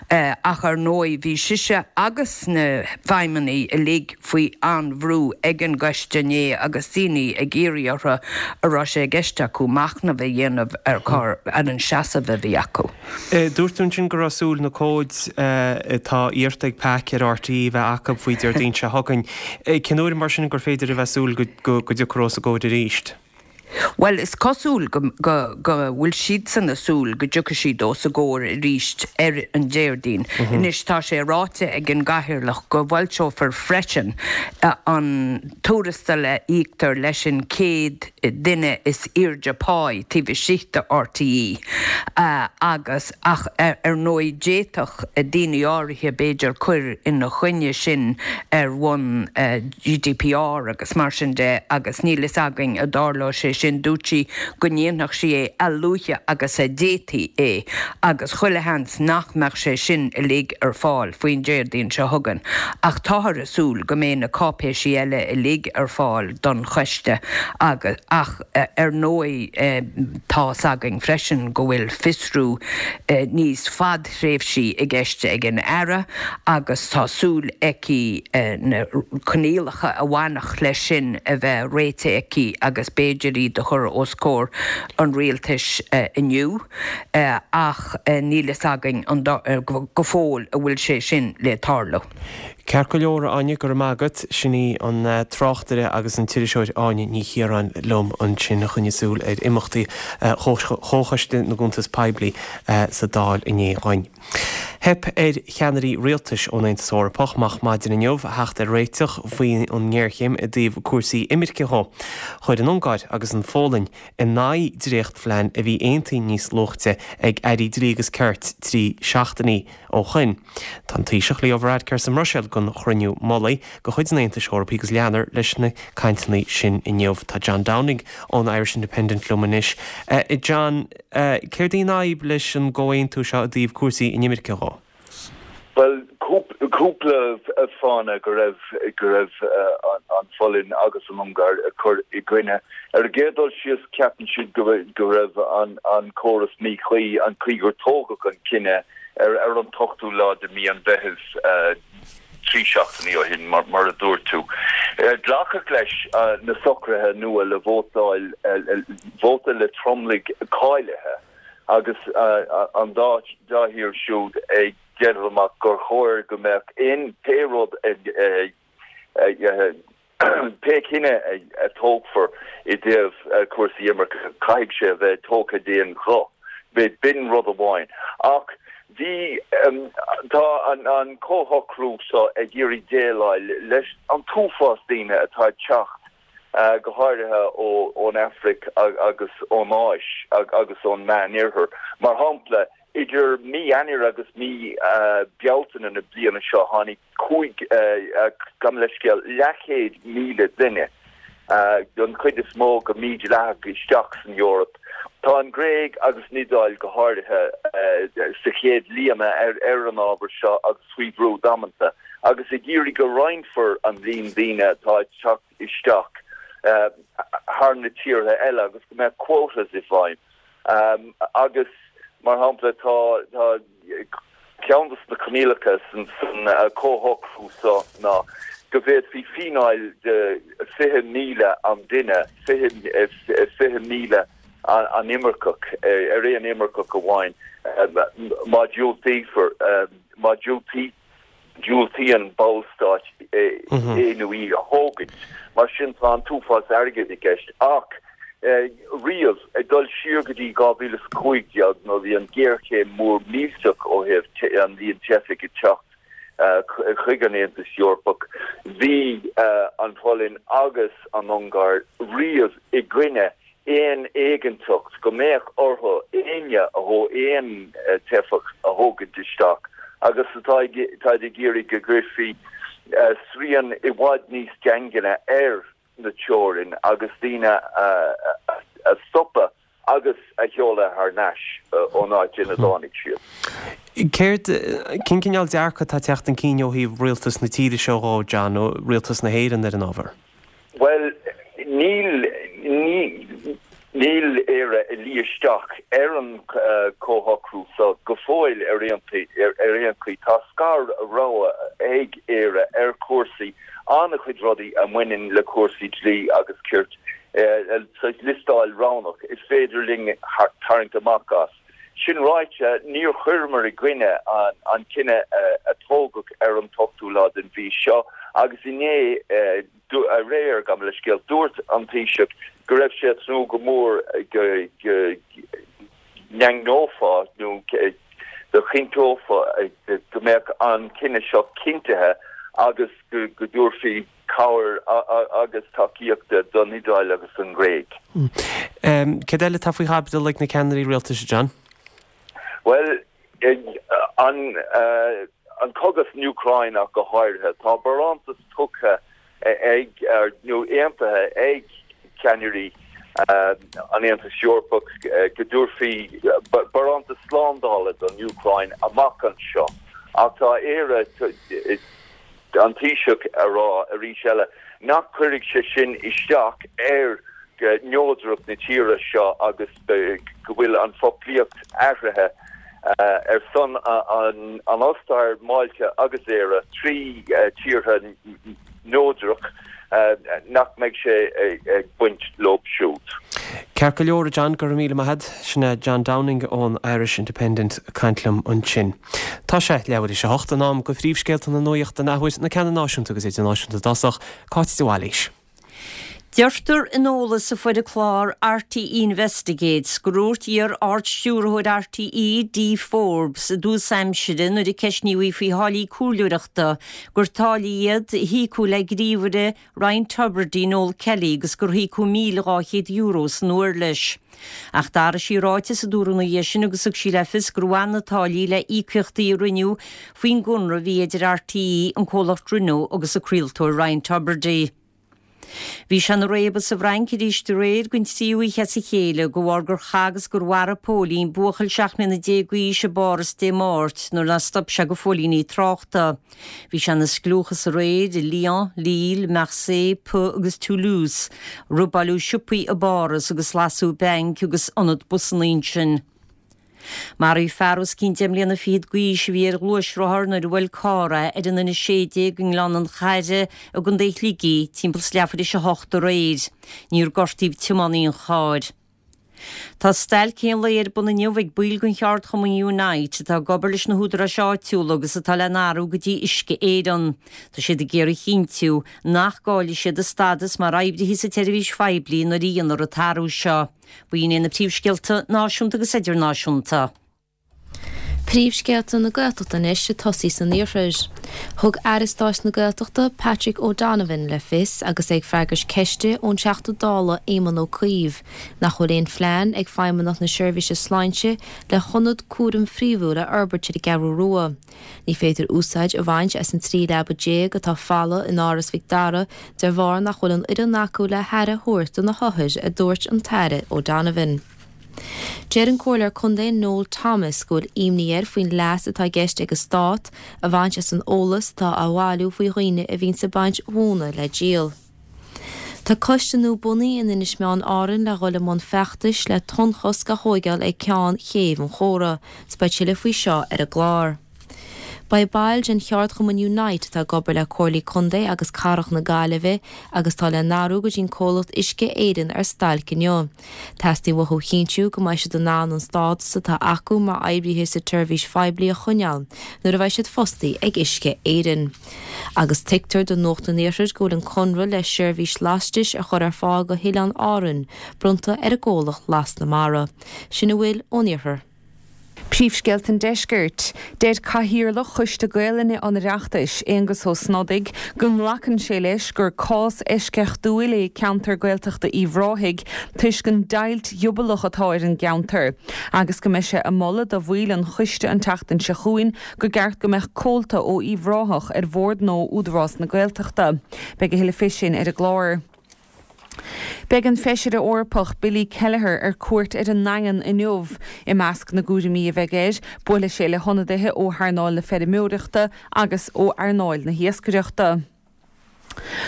G: Ach ar ndóigh bhí sise agus na feidhmeannaigh uilig faoi an-bhrú ag an gcoiste inné agus daoine ag iarraidh orthu a raibh sé i gceist acu machnamh a dhéanamh ar an seasamh a bhí acu.
A: Dúirt tú ansin go raibh súil na comhaid atá iarrta ag PAC ar RTÉ a bheith acu faoi Déardaoin seo chugainn. Cén uair mar sin gur féidir a bheith súil go dtiocfar os a gcomhair arís?
G: Bhuel, is cosúil go bhfuil siadsan ag súil go dtiocfaidh siad os a gcomhair arís ar an Déardaoin. Anois tá sé ráite ag an gCathaoirleach go bhfoilseofar freisin an tuarastal a íoctar leis an 100 duine is airde páí taobh istigh de RTÉ agus ach ar ndóigh d'fhéadfadh daoine áirithe b'fhéidir cur ina choinne sin ar bhonn GDPR agus mar sin de agus níl fhios againn an dtarlóidh sé sin. sin dúirt sí go ndéanfadh sí é a luaithe agus a d'fhéadfaí é agus chuile sheans nach mbeadh sé sin uilig ar fáil faoin Déardaoin seo chugainn ach táthar ag súil go mbeidh na cáipéisí eile uilig ar fáil don choiste agus ach ar ndóigh tá's againn freisin go bhfuil fiosrú níos fadthréimhsí i gceist ag an Aire agus tá súil aici na coinníollacha a bhainfeadh leis sin a bheith réitithe aici agus b'fhéidir iad a chur os comhair an rialtais inniu ach níl fhios againn go fóill an bhfuil sé sin le tarlú.
A: Ceart go leor, a Áine, go raibh maith agat. Sin í an tráchtaire agus an t-iriseoir Áine Ní Chiaráin liom ansin a choinnigh súil ar imeachtaí Chomhchoiste na gCuntas Poiblí sa Dáil inné dhuinn. Theip ar cheannairí rialtais ón Aontas Eorpach amach maidin inniu a theacht ar réiteach faoi an ngéarchéim i dtaobh cúrsaí imirce dhó. Chuir an Ungáir agus an Pholainn in aghaidh dréachtphlean a bhí aontaithe níos luaite ag airí dlí agus cirt 3 seachtainí ó shoin. Tá an Taoiseach Leo Varadkar sa mBruiséil don chruinniú mullaigh de chuid an Aontais Eorpaigh agus leanfar leis na cainteanna sin inniu. Tá John Downing ón Irish Independent liom anois. John, céard í an fhadhb leis an gcomhaontú seo i dtaobh cúrsaí inimirce dhó?
H: Bhuel, cúpla fáthanna go raibh go raibh an Pholainn agus an Ungáir ag cur i gcoinne. Ar an gcéad dul síos, ceapann siad go go raibh an córas míchuí, an chaoi gur tógadh an cinneadh ar an t-ochtú lá de mhí an Mheithimh, 3 seachtainí ó shin, mar a dúirt tú. Glacadh leis na socruithe nua le vótáil, vóta le tromlaigh cáilithe agus an dá thír siúd ag déanamh amach gur chóir go mbeadh aon, pé rud a Pé cinneadh a tógfar i dtaobh cúrsaí imirce, caithfidh sé a bheith tógtha d'aon ghuth. B'in rud amháin. Ach bhí, tá an comhshocrú seo ag iarraidh déileáil leis an t-uafás daoine atá ag teacht, go háirithe ón Afraic agus ón Áis agus ón Meánoirthear. Mar shampla, Idir mí Eanáir agus mí Bealtaine na bliana seo tháinig 5, gabh mo leithscéal, leathchéad míle duine, don chuid is mó go mídhleathach, isteach san Eoraip. Tá an Ghréig agus an Iodáil go háirithe sa chéad líne ar an ábhar seo agus faoi bhrú damanta agus ag iarraidh go roinnfear an líon daoine atá ag teacht isteach thar na tíortha eile agus go mbeadh quotas i bhfeidhm. Agus, mar shampla, tá ceann de na coinníollacha san chomhshocrú seo ná go bhféadfaí fíneáil de 20,000 an duine, 20,000 an imirceach, ar aon imirceach amháin, má diúltaífear, má diúltaítear. diúltaíonn ballstáit é nó í a thógaint. Mar sin tá an t-uafás airgid i gceist. Ach riamh, ag dul siar go dtí 2015 nuair a bhí an ghéarchéim mhór millteach ó thaobh an líon teifigh ag teacht chuig an Aontas Eorpach, bhí an Pholainn agus an Ungáir riamh i gcoinne aon éiginnteacht go mbeadh orthu éinne a aon teifeach a thógaint isteach agus táid ag iarraidh go gcuirfí srian i bhfad níos daingne ar na teorainn agus daoine a stopadh agus a sheoladh thar n-ais ón áit ina dtáinig siad.
A: Céard, cén cineál dearcadh atá ag teacht chun cinn ó thaobh rialtas na tíre seo dhó, John, ó rialtas na hÉireann ar an ábhar?
H: Bhuel, níl, níl Éire ag luí isteach ar an chomhshocrú seo go fóill ar aon chaoi. Tá scar-rogha ag Éire ar chúrsaí, an-chuid rudaí a mbaineann le cúrsaí dlí agus cirt, saghas liostáil roghnach, is féidir linn tarraingt amach as. Sin ráite, níor chuireamar i gcoinne an cinneadh a tógadh ar an t-ochtú lá den mhí seo agus inné, aréir, gabh mo leithscéal, dúirt an Taoiseach go raibh sé ag tnúth go mór go ndaingneofaí nó go gcinnteofaí go mbeadh an cinneadh seo cinntithe agus go dtabharfaí cabhair agus tacaíocht don Iodáil agus don Ghréig.
A: Céard eile atá faoi chaibidil ag na ceannairí rialtais, a John?
H: Bhuel, an cogadh san Úcráin ach go háirithe. Tá barántas tugtha ag, nó aontaithe ag ceannairí. an Aontais Eorpach go dtabharfaí barántas slándála don Úcráin amach anseo. Ach tá Éire, an Taoiseach a rá arís eile nach gcuirfidh sé sin isteach ar neodracht na tíre seo agus go bhfuil an foclaíocht athraithe ar son an Ostair, Málta agus Éire, 3 tíortha neodrach, nach mbeidh sé ag baint leo siúd.
A: Ceart go leor, a John, go raibh míle maith agat. Sin é John Downing ón Irish Independent ag caint liom ansin. Tá sé leathuair théis a hocht, in am do phríomhscéalta na nuachta an athuair, na ceanna náisiúnta agus idirnáisiúnta i dtosach. Cáit de Bhailís.
B: Deirtear in eolas a fuair an clár RTÉ Investigates gur dhúirt iar-Ard-Stiúrthóir RTÉ, Dee Forbes, i dtús aimsire nuair a ceistníodh í faoi tháillí comhairleoireachta gur táillí iad a híocadh le gníomhaire Ryan Tubridy, Noel Kelly agus gur híocadh €1,200 san uair leis. Ach d'athraigh sí a ráiteas a dúradh ina dhiaidh sin agus thug sí le fios gur bhain na táillí le íocaíochtaí a rinneadh faoin gconradh a bhí idir RTÉ, an comhlacht Renault agus an craoltóir Ryan Tubridy. Bhí sé ina réabadh sa bhFrainc arís aréir den tríú oíche as a chéile de bharr gur chaith agus gur mharaigh póilín buachaill 17 mbliana d'aois i bPáras Dé Máirt nuair nár stop sé do phóilíní tráchta. Bhí sé ina scliúchas aréir i Lyon, Lille, Marseille, Pau agus Toulouse. Robáileadh siopaí i bPáras agus lasadh bainc agus ionad busanna ansin. Maraíodh fear os cionn deich mbliana fichead d'aois a bhí ar ghluaisrothar nuair a bhuail carr é ar an N16 i nGleann an Charraigh i gContae Shligigh timpeall is leathuair théis a hocht aréir. Níor gortaíodh tiománaí an chairr. Tá stailc aon lae ar bun inniu ag baill den cheardchumann Unite atá ag obair leis na húdaráis áitiúla agus atá le n-athrú go dtí Uisce Éireann. Tá siad ag iarraidh a chinntiú nach gcaillfidh siad a stádas mar oibrithe sa tseirbhís phoiblí nuair a dhéanfar an t-athrú seo. B'in iad na príomhscéalta náisiúnta agus idirnáisiúnta.
C: Príomhscéalta na Gaeltachta anois ag tosaí san iarthar. Thug Aire Stáit na Gaeltachta, Patrick O'Donovan, le fios agus é ag freagairt ceiste ón Teachta Dála Éamon Ó Cuív nach bhfuil aon phlean ag Feidhmeannacht na Seirbhíse Sláinte le hionad cúraim phríomhúil a fhorbairt ar an gCeathrú Rua. Ní féidir úsáid a bhaint as an 13 leaba atá folamh in Áras Mhic Dara de bharr nach bhfuil an fhoireann acu le haire a thabhairt do na hothair, a dúirt an tAire O'Donovan. Deir an Comhairleoir Contae Noel Thomas go bhfuil imní air faoin leas atá i gceist ag an Stát a bhaint as an eolas atá á bhailiú faoi dhaoine a bhíonns ag baint mhóna le díol. Tá coiste nua bunaithe in Inis Meáin Árann le dhul i mbun feachtais le tonnchosc a thóigeáil ag ceann Chéibh an Chóra. 'S beidh tuilleadh faoi seo ar an gclár. Beidh baill den cheardchumann Unite atá ag obair le Comhairlí Contae agus Cathrach na Gaillimhe agus atá le n-athrú go dtí an comhlacht Uisce Éireann ar stailc inniu. Teastaíonn uathu a chinntiú go mbeidh siad in ann an stádas atá acu mar oibrithe sa tseirbhís phoiblí a choinneáil nuair a bheidh siad fostaí ag Uisce Éireann. Agus tuigtear do Nuacht an Iarthair go bhfuil an conradh le seirbhís lastais a chur ar fáil go hOileáin Árann bronnta ar an gcomhlacht Lasc na Mara. Sin a bhfuil ón Iarthar.
D: Príomhscéalta an Deiscirt. Deir Cathaoirleach Choiste Gaelainne an Oireachtais, Aengus Ó Snodaigh, go nglacann sé leis gur cás eisceachtúil é ceantar Gaeltachta Uíbh Ráthaigh toisc an deighilt ghiobalach atá ar an gceantar agus go mbeidh sé ag moladh do bhaill an choiste an tseachtain seo chugainn gur ceart go mbeadh comhalta ó Uíbh Ráthach ar bhord nua Údarás na Gaeltachta. Beidh a thuilleadh fé sin ar an gclár. Beidh an Feisire Eorpach Billy Kelleher ar cuairt ar an nDaingean inniu. I measc na gcúraimí a bheidh air, buailfidh sé le hionadaithe ó hearnáil na feirmeoireachta agus ó earnáil na hiascaireachta.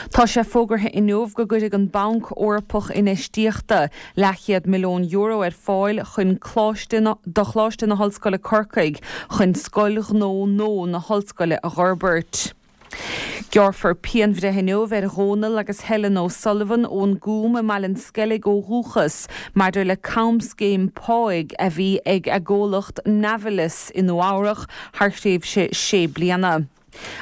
D: Tá sé fógartha inniu go gcuirfidh an Banc Eorpach Infheistíochta leathchéad milliún euro ar fáil chun Coláiste do Choláiste na hOllscoile Corcaigh chun Scoil Ghnó nua na hOllscoile a dh'fhorbairt. Gearrfar pianbhreith inniu ar Dhónal agus Helen O'Sullivan ón gCúm i mBaile an Sceilg ó dhúchas maidir le camscéim páigh a bhí ag a gcomhlacht Navilas i Nua Eabhrach thar thréimhse sé bliana.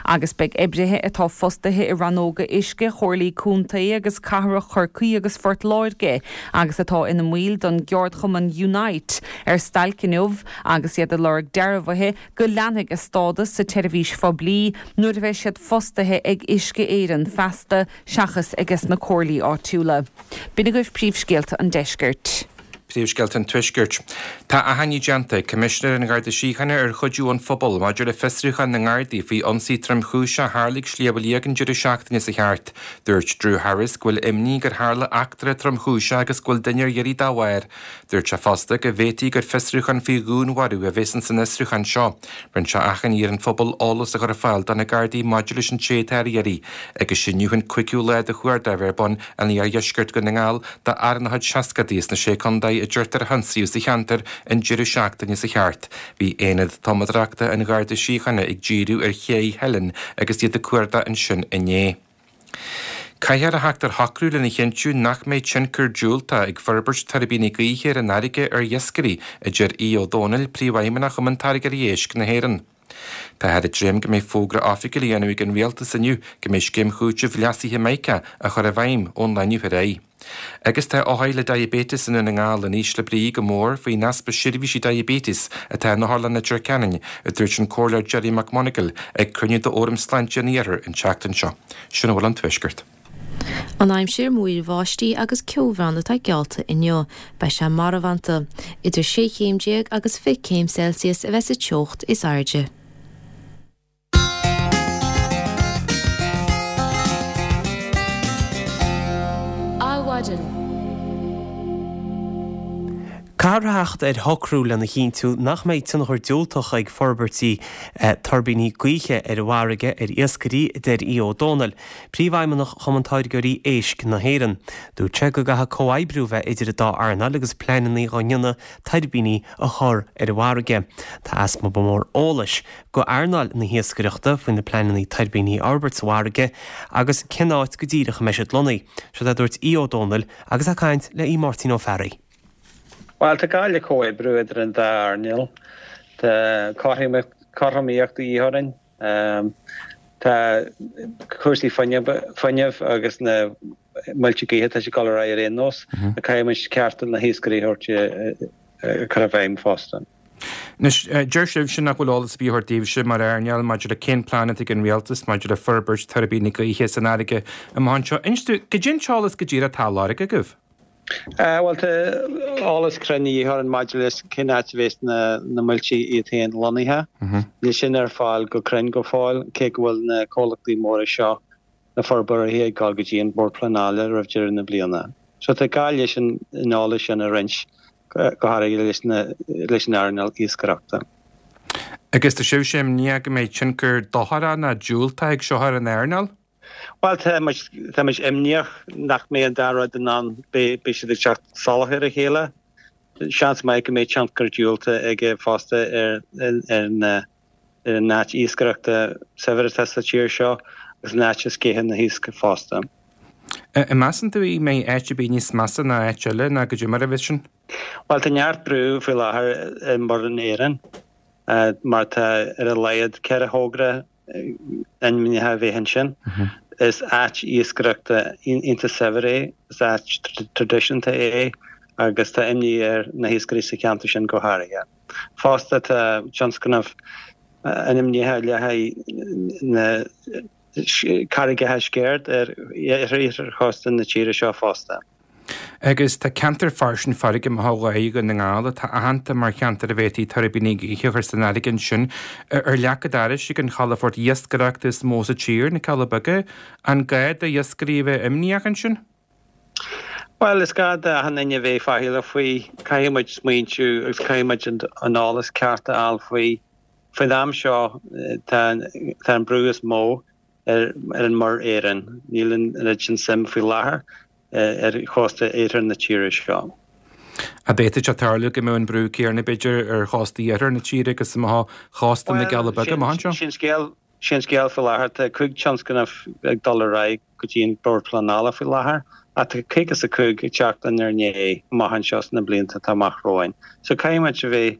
D: Agus beidh oibrithe atá fostaithe i rannóga uisce Chomhairlí Contae agus Cathrach Chorcaí agus Phort Láirge agus atá ina mbaill den gceardchumann Unite ar stailc inniu agus iad ag lorg dearbhuithe go leanfaidh a stádas sa tseirbhís phoiblí nuair a bheidh siad fostaithe ag Uisce Éireann feasta seachas ages na comhairlí áitiúla. B'in agaibh príomhscéalta an deiscirt.
E: Príomhscéalta an Tuaiscirt. Tá achainí déanta ag Coimisinéir an Gharda Síochána ar chuidiú ón phobal maidir le fiosrúchán na nGardaí faoi ionsaí tromchúiseach a tharla ag Sliabh Liag an deireadh seachtaine seo thart. Dúirt Drew Harris go bhfuil imní gur tharla eachtra tromchúiseach agus go bhfuil duine ar iarraidh dá bharr. Dúirt sé fosta go bhféadfaí gur fiosrúchán faoi dhúnmharú a bheas ins an fhiosrúchán seo. Rinne sé achainí ar an phobal eolas a chur ar fáil do na Gardaí maidir leis an té atá ar iarraidh agus inniu an cúigiú lá de chuardach a bheith ar bun in iardheisceart Dhún na nGall d'fhear ina chuid seascadaí sna Sé Contae a deirtear a hionsaíodh sa cheantar an deireadh seachtaine seo thart. Bhí Aonad Tumadóireachta an Gharda Síochána ag díriú ar Ché Theilinn agus iad ag cuardach ansin inné. Caithfear a theacht ar shocrú lena chinntiú nach mbeidh tionchar diúltach ag forbairt tuirbíní gaoithe ar an fharraige ar iascairí, a deir Aodh Ó Domhnaill, Príomhfheidhmeannach Chumann Táirgeoirí Éisc na hÉireann. Táthar ag dréim go mbeidh fógra oifigiúil á dhéanamh ag an Rialtas inniu go mbeidh scéim chúitimh leasaithe Mica á chur i bhfeidhm ón lá inniu ar aghaidh. Agus tá othair le diaibéiteas i nDún na nGall in ísle brí go mór faoin easpa seirbhísí diaibéitis atá in Otharlann Leitir Ceanainn, a dúirt an Comhairleoir Gerry McMonagall ag cruinniú d'Fhóram Sláinte an Iarthair an tseachtain seo. Sin a bhfuil ón Tuaisceart.
C: An aimsir, múraíl bháistí agus ceobhrán atá geallta inniu. Beidh sé marbhánta. Idir 16 chéim agus 20 céim Celsius a bheas sa teocht is airde.
A: Adhmhaidin. Caithfear a theacht ar shocrú lena chinntiú nach mbeidh tionchar diúltach ag forbairtí tuirbíní gaoithe ar an bhfarraige ar iascairí, a deir Aodh Ó Domhnaill. Príomhfheidhmeannach Chumann Táirgeoirí Éisc na hÉireann. Dúirt sé go gcaithfidh comhoibriú bheith idir an dá earnáil agus pleananna dhá ndéanamh tuirbíní a chur ar an bhfarraige. Tá easpa mór eolais go earnáil na hiascaireachta faoi na pleananna tuirbíní a fhorbairt sa bhfarraige agus cén áit go díreach a mbeidh siad lonnaithe. Seo a dúirt Aodh Ó Domhnaill agus é ag caint le Aodh Máirtín Ó Fearraigh.
I: Bhuel, tá gá le comhoibriú idir an dá earnáil. Tá cothromaíocht de dhíth orainn. Tá cúrsaí fuinnimh agus na muilte gaoithe, tá sé ag dul ar aghaidh ar aon nós. Caithfidh muid cearta na hiascairí a thabhairt a chur i bhfeidhm
E: fosta. Anois, deir sibhse nach bhfuil eolas ar bith á thabhairt daoibhse mar earnáil maidir le cén plean atá ag an rialtas maidir le forbairt tuirbíní gaoithe san fharraige amach anseo. Inis dúinn, goidé an t-eolas go díreach atá á lorg agaibh?
I: Bhuel, tá eolas cruinn de dhíth orainn maidir leis cén áit a bheas na muilte iad féin lonnaithe. Níl sin ar fáil go cruinn go fóill, cé go bhfuil na comhlachtaí móra seo, na forbróirí, ag dul go dtí an Bord Pleanála roimh deireadh na bliana. So tá gá leis an eolas sin a roinnt, go háirithe leis an earnáil iascaireachta.
E: Agus tá sibhse imníoch go mbeidh tionchar dochrach nó diúltach ag seo ar an earnáil?
I: Bhuel, tá muid, tá muid imníoch nach mbeidh an dá rud in ann, beidh, beidh siad ag teacht salach ar a chéile. Seans maith go mbeidh tionchar diúltach aige fosta ar, ar na, ar an áit iascaireachta saibhir atá sa tír seo agus an áit a sceitheann na hiasc fosta.
E: An measann tú go mbeidh áit ar bith níos measa ná áit eile nó goidé mar a bheas sin?
I: Bhuel, tá neart brú faoi láthair i Muir na hÉireann mar tá ar a laghad 4 thogra ainmnithe a bheith ansin. Is áit iascaireachta iontach saibhir é, is áit traidisiúnta é agus tá imní ar na hiascairí sa cheantar sin go háirithe. Fosta tá tionscnamh ainmnithe le haghaidh na carraigeacha Sceird ar iarthar chósta na tíre seo fosta.
E: Agus tá ceantar fairsing farraige amach ó ghaoth Dhún na nGall atá aitheanta mar cheantar a bhféadfaí tuirbíní gaoithe a chur san fharraige ansin. Ar leac an dorais ag an chalafort iascaireachta is mó sa tír, na Cealla Beaga, an gá do iascairí a bheith imníoch ansin?
I: Bhuel, is gá d'achan duine a bheith faichilleach faoi. Caithfidh muid smaointiú agus caithfidh muid an eolas ceart a fháil faoi. Faoin am seo tá an brú is mó ar an Muir Éireann. Níl an oiread sin suim faoi láthair ar chósta iarthar na tíre seo.
E: An bhféadfadh sé tarlú go mbeadh an brú céanna, b'fhéidir, ar chósta iarthar na tíre agus amach ó chósta na gCealla Beaga amach anseo?
I: Sin scéal, sin scéal faoi láthair. Tá 5 tionscnamh ag dul ar aghaidh go dtí an Bord Pleanála faoi láthair ach tá 55 ag teacht inár ndiaidh amach anseo sna blianta atá amach romhainn. So caithfidh muid a bheith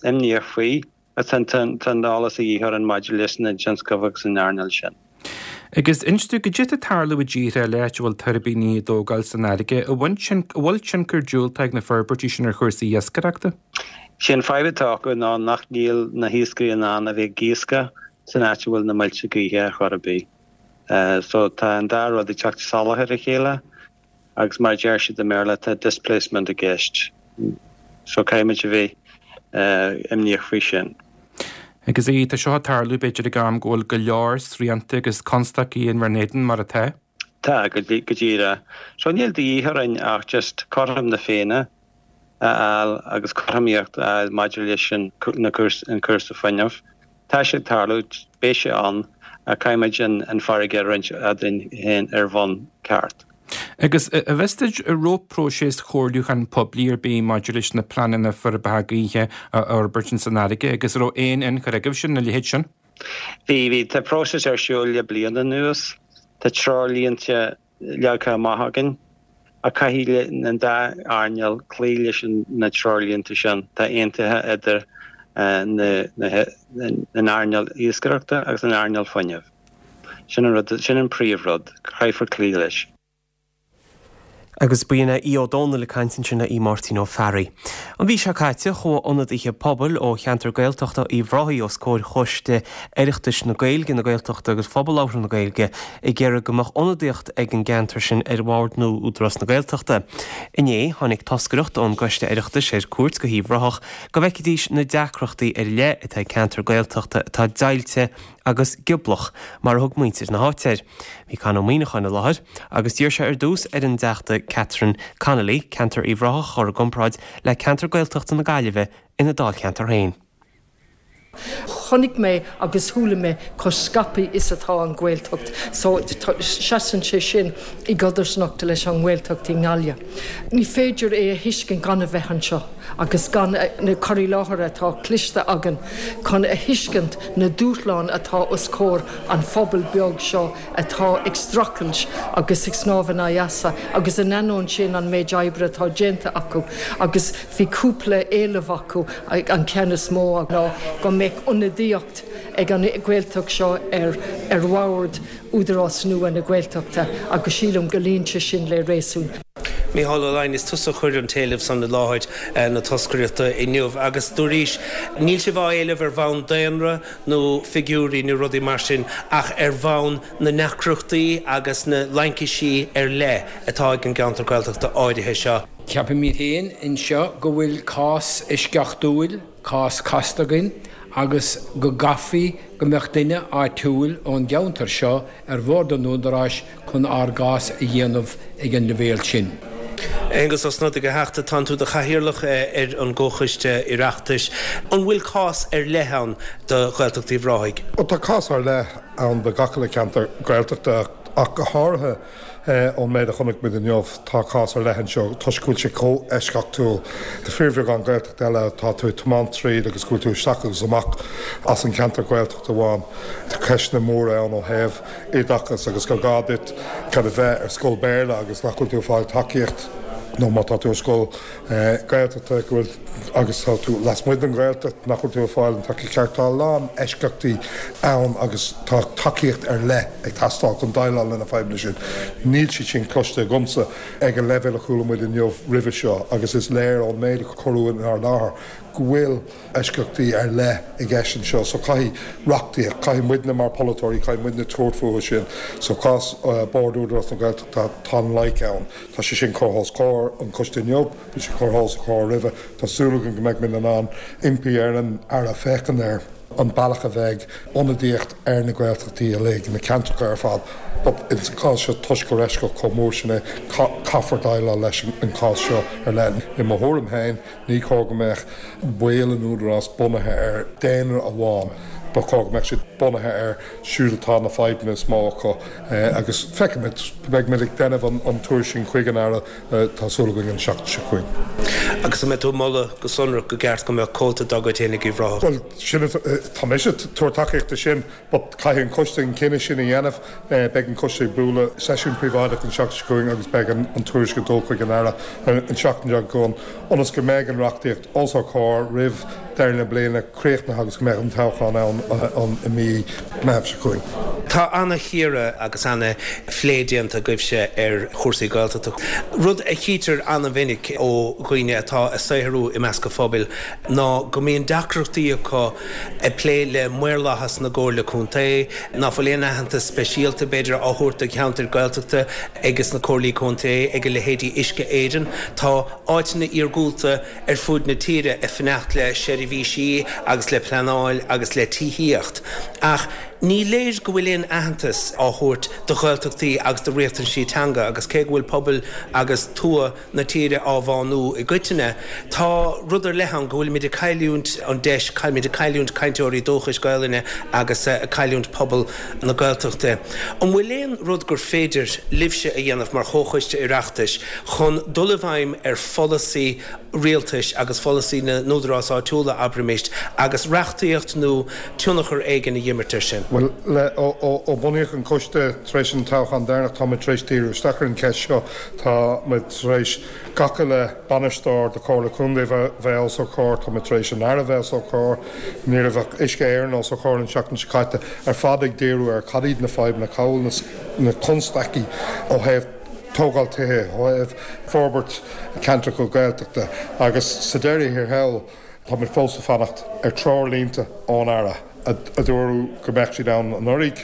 I: imníoch faoi. Tá an t-eolas a dhíth orainn
E: maidir leis na tionscnaimh agus an earnáil sin. Agus inis dúinn, goidé atá ag tarlú i dtíortha eile áit a bhfuil tuirbíní á dtógáil san fharraige, an bhfuil tionchar diúltach ag na forbairtí sin ar chúrsaí iascaireachta?
I: Sé an fadhb atá acu ná nach níl na hiascairí in ann a bheith ag iascach san áit a bhfuil na muilte gaoithe ar chor ar bith. So tá an dá rud ag teacht salach ar a chéile. Agus mar a deir siad i mBéarla, tá displacement i gceist. So caithfidh muid a bheith imníoch faoi sin.
E: Agus aoi, tá seo ag tarlú b'fhéidir ag am go bhfuil go leor srianta agus constaicí inár n-éadan mar atá.
I: Tá, go díreach. So níl de dhíth orainn ach just cothrom na Féinne a fháil agus cothromaíocht a fháil maidir leis an cúrsa fuinnimh. Tá sé ag tarlú, beidh sé ann, ach caithfidh muid an farraige a roinnt eadrainn féin ar bhonn ceart.
E: Agus an bhfios duit an raibh próiseas chomhairliúcháin poiblí ar bith maidir leis na pleananna forbartha gaoithe a fhorbairt ins an fharraige agus an raibh aon ionchur agaibhse ina leithéid sin?
I: Bhí, bhí. Tá próiseas ar siúl le bliain anuas. Tá treoirlínte leagtha amach againn, ach caithfidh an dá earnáil cloí leis na treoirlínte sin atá aontaithe idir an earnáil iascaireachta agus an earnáil fuinnimh. Sin an rud, sin an príomhrud, caithfear cloí leis.
A: Agus ba in é Aodh Ó Domhnaill ag caint ansin le Aodh Máirtín Ó Fearraigh. An mhí seo caite, chuaigh ionadaithe pobail ó cheantar Gaeltachta Uíbh Ráthaigh os comhair Choiste Oireachtais na Gaeilge, na Gaeltachta agus Phobal Labhartha na Gaeilge ag iarraidh go mbeadh ionadaíocht ag an gceantar sin ar bhord nua Údarás na Gaeltachta. Inné, tháinig toscaireacht ón gCoiste Oireachtais ar cuairt go hUíbh Ráthach go bhfeicfidís na deacrachtaí ar leith atá ag ceantar Gaeltachta atá deighilte agus gioblach, mar a thug muintir na háite air. Bhí Con Ó Muíneacháin i láthair agus d'iarr sé ar dtús ar an dTeachta Catherine Connolly ceantar Uíbh Ráthach a chur i gcomparáid le ceantar Gaeltachta na Gaillimhe ina dáilcheantar féin.
J: Chonaic mé agus chuala mé chomh scaipthe is atá an Ghaeltacht so seasann sé sin i gcodarsnacht leis an nGaeltacht i nGaillimh. Ní féidir é a thuiscint gan a bheith anseo agus gan na cur i láthair atá cloiste againn chun a thuiscint na dúshláin atá os comhair an phobail beag seo atá ag streachailt agus ag snámh in aghaidh easa agus in ainneoin sin an méid oibre atá déanta acu agus bhí cúpla éileamh acu an ceann is mó ná go mbeadh ionadaíocht ag an Ghaeltacht seo ar ar bhord Údarás nua na Gaeltachta agus sílim go luíonn sé sin le réasún.
K: Mícheál Ó Laighin, is tusa a chuir an t-éileamh san i láthair na toscaireachta inniu agus dúraís, níl sibh á éileamh ar bhonn daonra nó figiúirí nó rudaí mar sin ach ar bhonn na ndeacrachtaí agus na laincisí ar leith atá ag an gceantar Gaeltachta áirithe seo.
L: Ceapaimid féin anseo go bhfuil cás eisceachtúil, cás casta againn agus go gcaithfí go mbeadh duine áitiúil ón gceantar seo ar bhord an Údaráis chun ár gcás a dhéanamh ag an leibhéal sin.
K: Aengus Ó Snodaigh, a Theachta, tánn tú i do chathaoirleach ar an gComhchoiste Oireachtais. An bhfuil cás ar leith ann do Ghaeltacht Uíbh Ráthaigh?
M: Bhuel, tá cás ar leith ann do gach uile cheantar Gaeltachta ach go háirithe ón méid a chonaic muid inniu, tá cás ar leith anseo toisc go bhfuil sé chomh eisceachtúil. Tá fíorbheagán Gaeltacht eile atá tú ag tiomáint tríd agus go bhfuil tú isteach agus amach as an cheantar Gaeltachta amháin. Tá ceisteanna móra ann ó thaobh oideachas agus gur gá duit kind of bheith ar scoil Béarla agus nach bhfuil tú ag fáil tacaíocht nó má tá tú ar scoil Gaeltachta go bhfuil agus tá tú lasmuigh den Ghaeltacht nach bhfuil tú ag fáil an tacaíocht cheart. Tá a lán eisceachtaí ann agus tá tacaíocht ar leith ag teastáil chun déileáil le na fadhbanna sin. Níl siad sin cloiste agamsa ag an leibhéal a chuala muid inniu roimhe seo agus is léir ón méid a cuireadh inár láthair go bhfuil eisceachtaí ar leith i gceist anseo so caithfidh reachtaíocht, caithfidh muidne mar pholaiteoirí, caithfidh muidne tabhairt fúthu sin. So cás Bord Údarás na Gaeltachta, tá an loic ann. Tá sé sin curtha os comhair an choiste inniu, bhí sé curtha os a chomhair roimhe. Tá súil againn go mbeidh muid in ann impí ar an Aire féachaint ar an bealach a bheidh ionadaíocht ar na Gaeltachtaí uilig, na ceantracha ar fad but ins an cás seo toisc gur eisceacht chomh mór sin é, caithfear déileáil leis an cás seo ar leith. I mo thuairim féin, Ní chóir go mbeadh baill an Údarás bunaithe ar daonra amháin, ba chóir go mbeadh siad bunaithe ar siúd atá na fadhbanna is mó acu agus feicfimid, beidh muid ag déanamh an tuairisc sin chuig an Aire, tá súil againn an seachtain seo chugainn.
K: Agus an mbeidh tú ag moladh go sonrach go gceart go mbeadh comhalta dá gcuid féin ag Uíbh Ráthach?
M: Bhuel, sin, tá mise ag tabhairt tacaíocht do sin. But caithfidh an coiste an cinneadh sin a dhéanamh. Beidh an coiste ag bualadh seisiún príobháideach an tseachtain seo chugainn agus beidh an tuairisc ag dul chuig an Aire an tseachtain seo chugainn ionas go mbeidh an reachtaíocht os ár comhair roimh deireadh na bliana críochnaithe agus go mbeidh an toghchán ann i mí. mí Meitheamh seo chugainn.
K: Tá ana-chíoradh agus ana-phlé déanta agaibhse ar chúrsaí Gaeltachta. Rud a chítear ana-mhinic ó dhaoine atá ag saothrú i measc an phobail ná go mbíonn deacrachtaí acu ag plé le maorlathas na gComhairle Contae, ná fuil aon aitheantas speisialta, b'fhéidir, á thabhairt do cheantair Gaeltachta ages na Comhairlí Contae, ag a leithéidí Uisce Éireann. Tá áiteanna iargúlta ar fuaid na tíre ag fanacht le seirbhísí agus le pleanáil agus le tithíocht ach ní léir go bhfuil aon aitheantas á thabhairt do Ghaeltachtaí agus do riachtanaisí teanga agus cé go bhfuil pobail agus tuath na tíre á bhánú i gcoitinne, tá rud ar leith ann go bhfuilimid ag cailliúint an deis, caillimid ag cailliúint cainteoirí dúchais Gaelainne agus ag cailliúint pobal na Gaeltachta. An bhfuil aon rud gur féidir libhse a dhéanamh mar Chomhchoiste Oireachtais chun dul i bhfeidhm ar pholasaí rialtais agus pholasaí na n-údarás áitiúla, abraimis, agus reachtaíocht nó tionchar éigin a dh'imirt air sin?
M: Bhuel, le, ó bunaíodh an coiste tar éis an toghchán deireanach, tá muid tar éis díriú isteach ar an cheist seo. Tá muid tar éis gach uile bainisteoir de Chomhairle Contae bheith os ár comhair, tá muid tar éis an Aire bheith os ár comhair, ní raibh ach Uisce Éireann os ár comhair an tseachtain seo caite, ar fad ag díriú ar cad iad na fadhbanna, cá bhfuil na constaicí ó thaobh tógáil tithe, ó thaobh forbairt ceantracha Gaeltachta agus sa deireadh thiar thall tá muid fós ag fanacht ar treoirlínte ón Aire a dúradh go mbeadh siad ann anuraidh,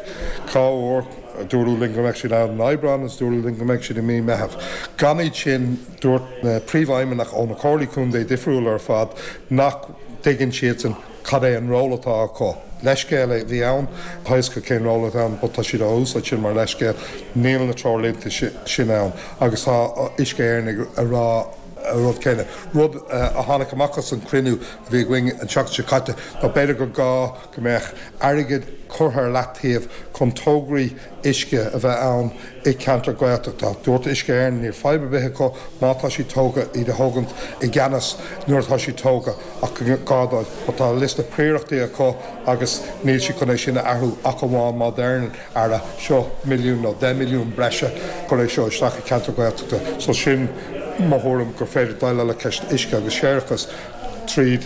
M: dhá uair, dúradh linn go mbeadh siad ann in Aibreán agus dúradh linn go mbeadh siad i mí Meitheamh. Gan iad sin, dúirt na príomhfheidhmeannaigh ó na comhairlí contae difriúla ar fad nach dtuigeann siadsan cad é an ról atá acu. Leithscéal a bhí ann, tá a fhios acu cén ról atá ann but tá siad á úsáid sin mar leithscéal. Níl na treoirlínte sin ann agus tá Uisce Éireann ag rá an rud céanna. Rud a tháinig amach as an chruinniú a bhí againn an tseachtain seo caite ná b'fhéidir gur gá go mbeadh airgead curtha ar leataobh chun tograí uisce a bheith ann i gceantar Gaeltachta. Dúirt Uisce Éireann níl fadhb ar bith acu má tá siad tógtha iad a thógaint i gceannas nuair atá siad tógtha ach gur gá dóibh but tá liosta príorachtaí acu agus níl siad chun é sin a athrú ach amháin má deir an Aire seo milliún nó 10 milliún breise cuir é seo isteach i gceantar Gaeltachta. So sin mo thuairim gur féidir déileáil le ceist uisce agus séarachas tríd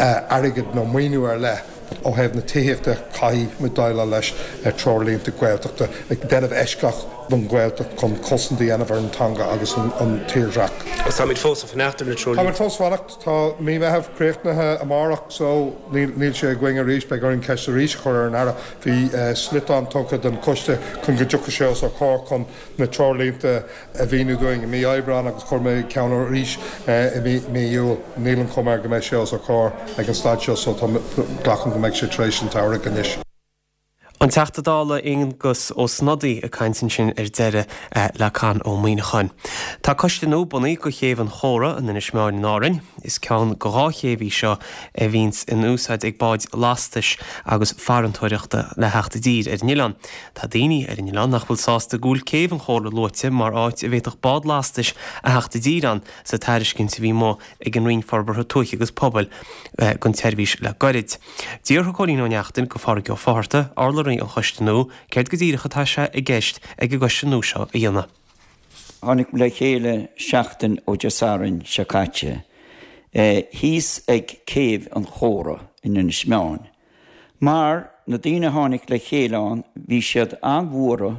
M: airgead nó maoiniú ar leith. Ó thaobh na tithíochta, caithfidh muid déileáil leis ar treoirlínte Gaeltachta, ag déanamh eisceacht don Ghaeltacht chun cosaint a dhéanamh ar an teanga agus an tírdhreach.
K: Agus táimid fós ag fanacht ar na treoirlínte.
M: Táimid fós ag fanacht. Tá mí Meitheamh críochnaithe amárach so níl sé againn arís. Beidh orainn ceist arís a chur ar an Aire. Bhí sliotán tugtha don choiste chun go dtiocfadh sé os ár comhair chun na treoirlínte a mhíniú dúinn i mí Aibreáin agus chuir mé ceann arís i mí Iúil. Níl an chuma air go mbeidh sé os ár comhair ag an staid seo so tá, glacaim go mbeidh sé tar éis an tsamhraidh anois.
A: An Teachta Dála Aengus Ó Snodaigh ag caint ansin ar deireadh le Con Ó Muíneacháin. Tá coiste nua bunaithe do Chéibh an Chóra in Inis Meáin in Árainn. Is ceann de dhá chéibh í seo a bhíonns in úsáid ag báid lastais agus farantóireachta le theacht i dtír ar an oileán. Tá daoine ar an oileán nach bhfuil sásta go bhfuil Céibh an Chóra luaite mar áit a bhféadfadh bád lastais a theacht i dtír ann sa tairiscint a bhí amuigh ag an Roinn Forbartha Tuaithe agus Pobail don tseirbhís le goirid. D'fhiafraigh Cóilín Ó Neachtain de Phádhraic Ó Fátharta, urlabhraí an choiste nua, céard go díreach atá sé i gceist ag an gcoiste nua seo a dhéanamh.
N: Tháinig le chéile seachtain ó Dé Sathairn seo caite thíos ag Céibh an Chóra in Inis Meáin. Mar na daoine a tháinig le chéile ann bhí siad an-bhuartha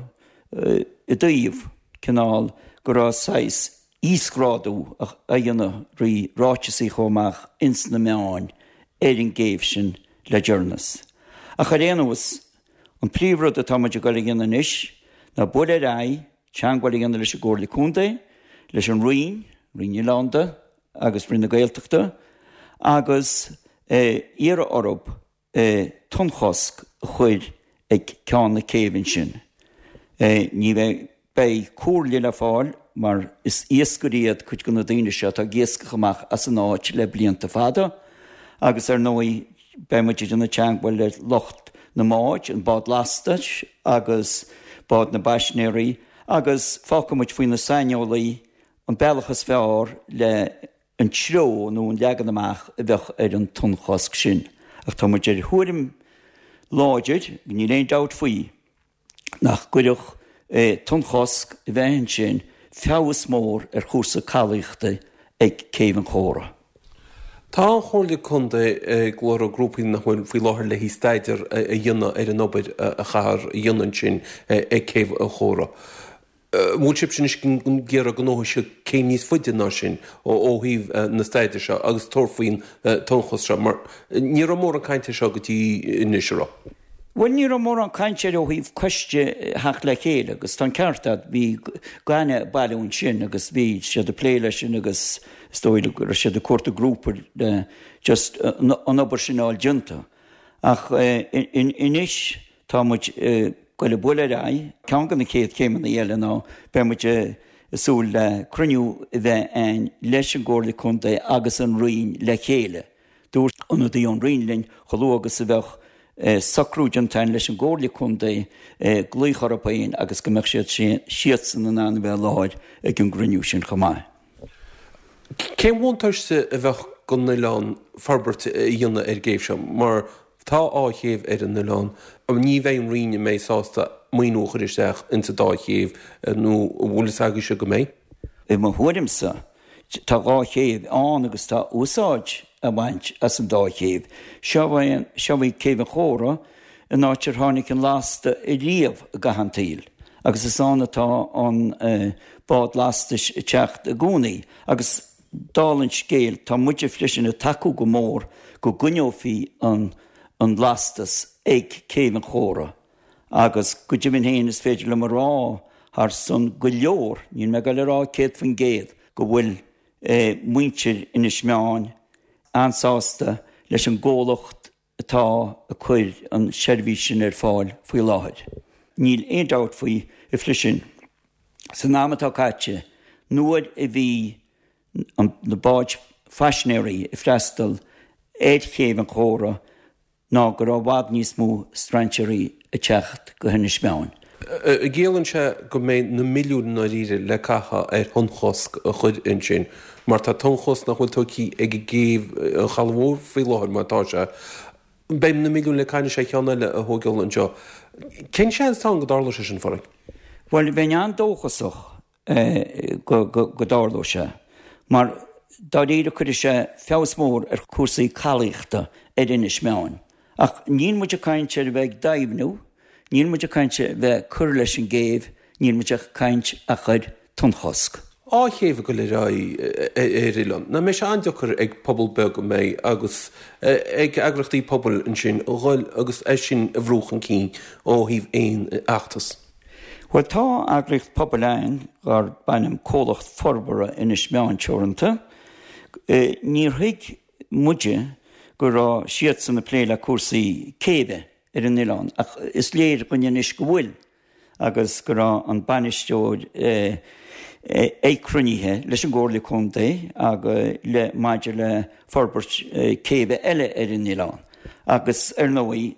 N: i dtaobh cineál go raibh saghas íosghrádú á dhéanamh thrí ráiteasaí a chuaigh amach ins na meáin ar an gcéibh sin le deireanas. Ach ar aon nós, an príomhrud atá muid ag dul a dhéanamh anois ná bualadh ar aghaidh, teangmháil a dhéanamh leis an gComhairle Contae, leis an Roinn, Roinn Oileánda agus Roinn na Gaeltachta, agus iarraidh orthu tonnchosc a chur ag ceann na céibhe ansin. Ní bheidh, beidh comhairle le fáil mar is iascairí iad cuid de na daoine seo atá ag iascach amach as an áit le blianta fada agus ar ndóigh beidh muid ag déanamh teangmháil le lucht na mbád, an bád lastais agus bád na bpaisnéirí agus fágfaidh muid faoi na saineolaí an bealach is fearr le an treo nó an leagan amach a bheadh ar an tonnchosc sin. Ach tá muid ar thuairim láidir, níl aon dabht faoi, nach gcuirfeadh tonnchosc a bheith ansin feabhas mór ar chúrsa calaíochta ag Céibh an Chóra.
K: Tá an Chomhairle Contae ag lorg grúpaí nach bhfuil faoi láthair le haghaidh staidéar a dhéanamh ar an obair a chaithfear a dhéanamh ansin ag Céibh an Chóra. An bhfuil sibhse anois ag iarraidh go ngabhfaidh siad céim níos faide ná sin ó thaobh na staidéar seo agus tabhairt faoin tonnchosc seo mar ní raibh mórán cainte air seo go dtí anois, an raibh?
N: Bhuel, ní raibh mórán cainte air ó thaobh coiste a theacht le chéile agus tá an ceart agat, bhí gaineamh ag bailiú ansin agus bhí siad ag plé leis sin agus is dóigh go raibh siad ag cuartú grúpa le just an obair sin a fháil déanta. Ach anois tá muid ag goil ag bualadh ar aghaidh. Ceann de na chéad chéimeanna eile ná beidh muid ag súil le cruinniú a bheith a'inn leis an gComhairle Contae agus an Roinn le chéile. Dúirt ionadaí ón Roinn linn chomh luath agus a bheadh socrú déanta againn leis an gComhairle Contae glaoch orthu féin agus go mbeadh siad siadsan in ann a bheith i láthair ag an gcruinniú sin chomh maith.
K: Cén bhuntáiste a bheadh don oileán forbairt a dhéanamh ar an gcéibh seo mar tá dhá chéibh ar an oileán. Ní bheidh an Roinn an mbeidh sásta maoiniú a chur isteach insa dá chéibh nó an bhfuil fhios agaibhse go mbeidh?
N: I mo thuairimse, Tá dhá chéibh ann agus tá úsáid á baint as an dá chéibh. Seo í Céibh an Chóra, an áit ar tháinig an lasta ariamh i gcaitheamh an tsaoil, agus is ann atá an bád lastais ag teacht i gcónaí. Agus dála an scéil, tá muide freisin ag tacú go mór go gcoinneofaí an lastas ag Céibh an Chóra. Agus go deimhin féin is féidir liom a rá thar son go leor, níl mé ag dul a rá 100%, go bhfuil muintir Inis Meáin an-sásta leis an gcomhlacht atá ag cur an seirbhís sin ar fáil faoi láthair. Níl aon dabht faoi a Phrisin, san am atá caite, nuair a bhí na báid phaisinéirí ag freastal ar Chéibh an Chóra, ná go raibh i bhfad níos mó strainséirí ag teacht go hInis Meáin.
K: An gciallaíonn sé go mbeidh na milliúin i ndáiríre le caitheamh ar thonnchosc a chur ansin, mar tá tonnchosc nach bhfuil tógtha ag an gcéibh an Chalaidh Mhóir faoi láthair mar atá sé. Beidh na milliúin le caitheamh anois ar cheann eile a thóigeáil anseo. Cén seans atá ann go dtarlóidh sé sin, a Phádraig?
N: Bhuel, bheinn an-dóchasach go dtarlódh sé, mar dáiríre cuirfidh sé feabhas mór ar chúrsaí calaíochta ar Inis Meáin. Ach níl muid ag caint ar a bheith ag doimhniú, níl muid ag caint ar bheith ag cur leis an gcéibh, níl muid ag caint ach ar tonnchosc.
K: Dhá chéibh ag dul ar aghaidh ar oileán. Nach mbeidh sé an-deacair ag pobal beag an mbeidh agus ag eagraíochtaí pobail ansin a dhul agus é sin a bhrú chun cinn ó thaobh aon fheachtas.
N: Bhuel, tá eagraíocht pobail ann darb ainm Comhlacht Forbartha Inis Meáin Teoranta. Níor thuig muide go raibh siadsan ag plé le cúrsaí céibhe ar an oileán ach is léir dhúinn anois go bhfuil agus go raibh an bainisteoir ag cruinnithe leis an gComhairle Contae agus le maidir le forbairt céibhe eile ar an oileán agus ar ndóigh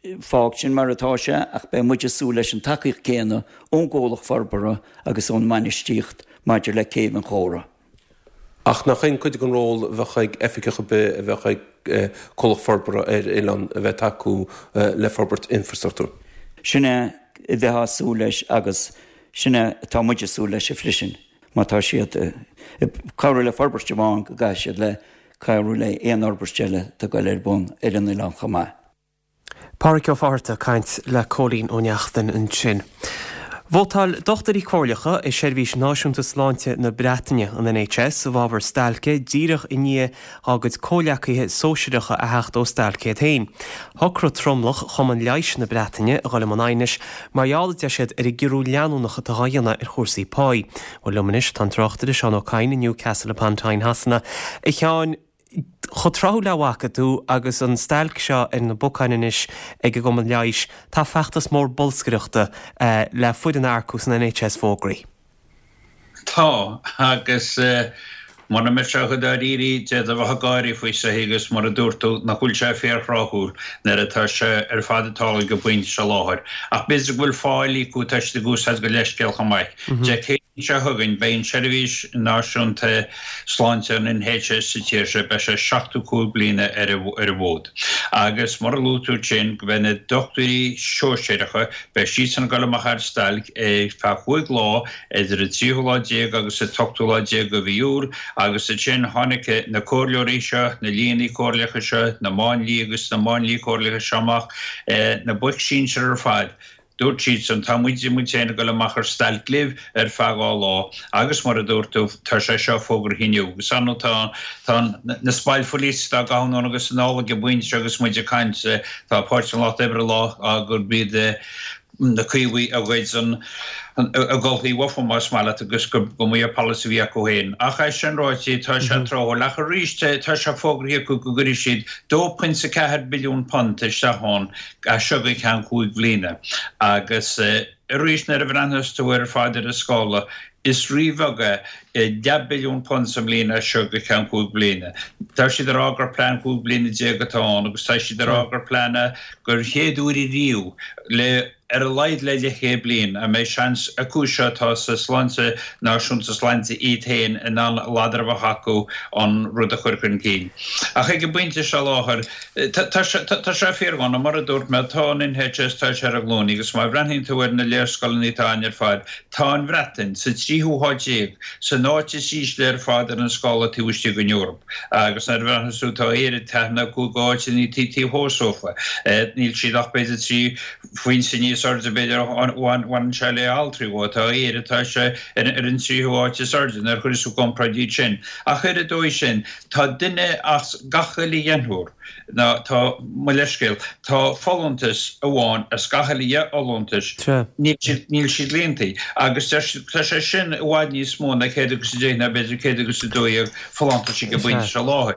N: Fág sin mar atá sé ach beidh muid ag súil leis an tacaíocht céanna ón gcomhlacht forbartha agus ón mbainistíocht maidir le Céibh an Chóra.
K: Ach nach in cuid den ról a bheadh ag oifigeach ar bith a bheadh ag comhlacht forbartha ar oileán a bheith ag tacú le forbairt infreastruchtúir?
N: Sin é a bheifeá ag súil leis agus sin é atá muid ag súil leis freisin. Má tá siad ag cabhrú le forbairt amháin go gcaithfidh siad le cabhrú le aon fhorbairt eile atá ag dul ar bun ar an oileán chomh maith.
A: Pádraic Ó Fátharta ag caint le Cóilín Ó Neachtain ansin. Vótáil dochtúirí comhairleacha i Seirbhís Náisiúnta Sláinte na Breataine, an NHS, i bhfabhar stailce díreach i ndiaidh dá gcuid comhleacaithe sóisearacha a theacht ó stailc iad féin. Shocraigh tromlach Chumann Leighis na Breataine a dhul i mbun aighnis mar gheall, a deir siad, ar an gciorrú leanúnach atá á dhéanamh ar chúrsaí páí. Bhuel liom anois tá an tráchtaire Seán Ó Cadhain i Newcastle upon Tyne Shasana. A Sheáin, Chomh tráthúil le bhfaca tú agus an stailc seo ar na bacáin anois ag an gCumann Leighis, tá feachtas mór bolscaireachta le foireann a earcú san NHS fógraithe.
O: Tá, agus mura mbeadh sé chomh dáiríre d'fhéadfá a bheith ag gáirí faoi seo agus mar a dúirt tú, nach bhfuil sé fíorthráthúil nuair atá sé ar fad ag tarlú ag an bpointe seo láthair. Ach b'fhéidir go bhfuil fáil acu, tá siad ag úsáid go leithscéal chomh maith. Dé Céadaoin. seo chugainn beidh an tSeirbhís Náisiúnta Sláinte, an NHS, sa tír seo, beidh sé 75 bliana ar an bhfód. Agus mar a luaigh tú ansin, go mbeidh na dochtúirí sóisearacha, beidh siadsan ag dul amach ar stailc ar feadh chúig lá, idir an tríú lá déag agus an t-ochtú lá déag de mhí Iúil, agus ansin tháinig na comhairleoirí seo, na lianna comhairleacha seo, na máinliaigh agus na máinliaigh comhairleacha seo amach, na boic sinsir ar fad. Dúirt siadsan, tá muid, muid féin ag dul amach ar stailc libh ar feadh 2 lá agus mar a dúirt tú, tá sé seo fógraithe inniu. Agus ar ndóigh tá, tá na spoil police á gcaitheamh anonn agus anall ag an bpointe seo agus muid ag caint, tá Páirtí an Lucht Oibre ag rá gurb iad na Caomhaigh a ghoid an, a gcolthaí uafa más maith leat agus go mba é polasaí a bhí acu féin. Ach é sin ráite, tá sé tráthúil. Ach arís, tá sé fógraithe acu go gcuirfidh siad 2.4 billiún punt isteach ann as seo go ceann chúig bhliana. Agus arís nuair a bhreathnaíos tú air ar fad ar an scála, is ríbheag é leathbhilliún punt sa mbliain as seo go ceann chúig bliana. Tá siad ag rá gur plean 15 bliana atá ann agus tá siad ag rá gur plean é gur chéad uair ariamh le ar a laghad le leathchéad bliain a mbeidh seans acu seo atá sa sláinte náisiúnta sláinte iad féin in ann ladar a bheith acu an rud a chur chun cinn. Ach ag an bpointe seo láthair, Tá sé fíordhona, mar a dúirt mé, tá an NHS, tá sé ar a ghlúine agus má bhreathnaíonn tú ar na léarscáileanna atá ann ar fad, tá an Bhreatain sa tríú háit déag, san áit is ísle ar fad ar an scála taobh istigh den Eoraip. Agus nuair a bhreathnaíos tú, tá Éire ceathair nó cúig áiteanna taobh thuas uafa. Níl siad ach b'fhéidir 3 phointe níos airde, b'fhéidir, a bhaineann sé le altraí dhó. Tá Éire, tá sé ar an tríú háit is airde nuair a chuireas tú i gcomparáid iad sin. Ach ar an dóigh sin, Tá duine as gach uile dheichniúr, ná tá, mo leithscéal, tá folúntas amháin as gach uile dheich fholúntais, níl siad, níl siad líontaí. Agus deir siad, tá sé sin i bhfad níos mó ná céad agus a deich ná b'fhéidir céad agus a dó dhéag folúntais ag an bpointe seo láthair.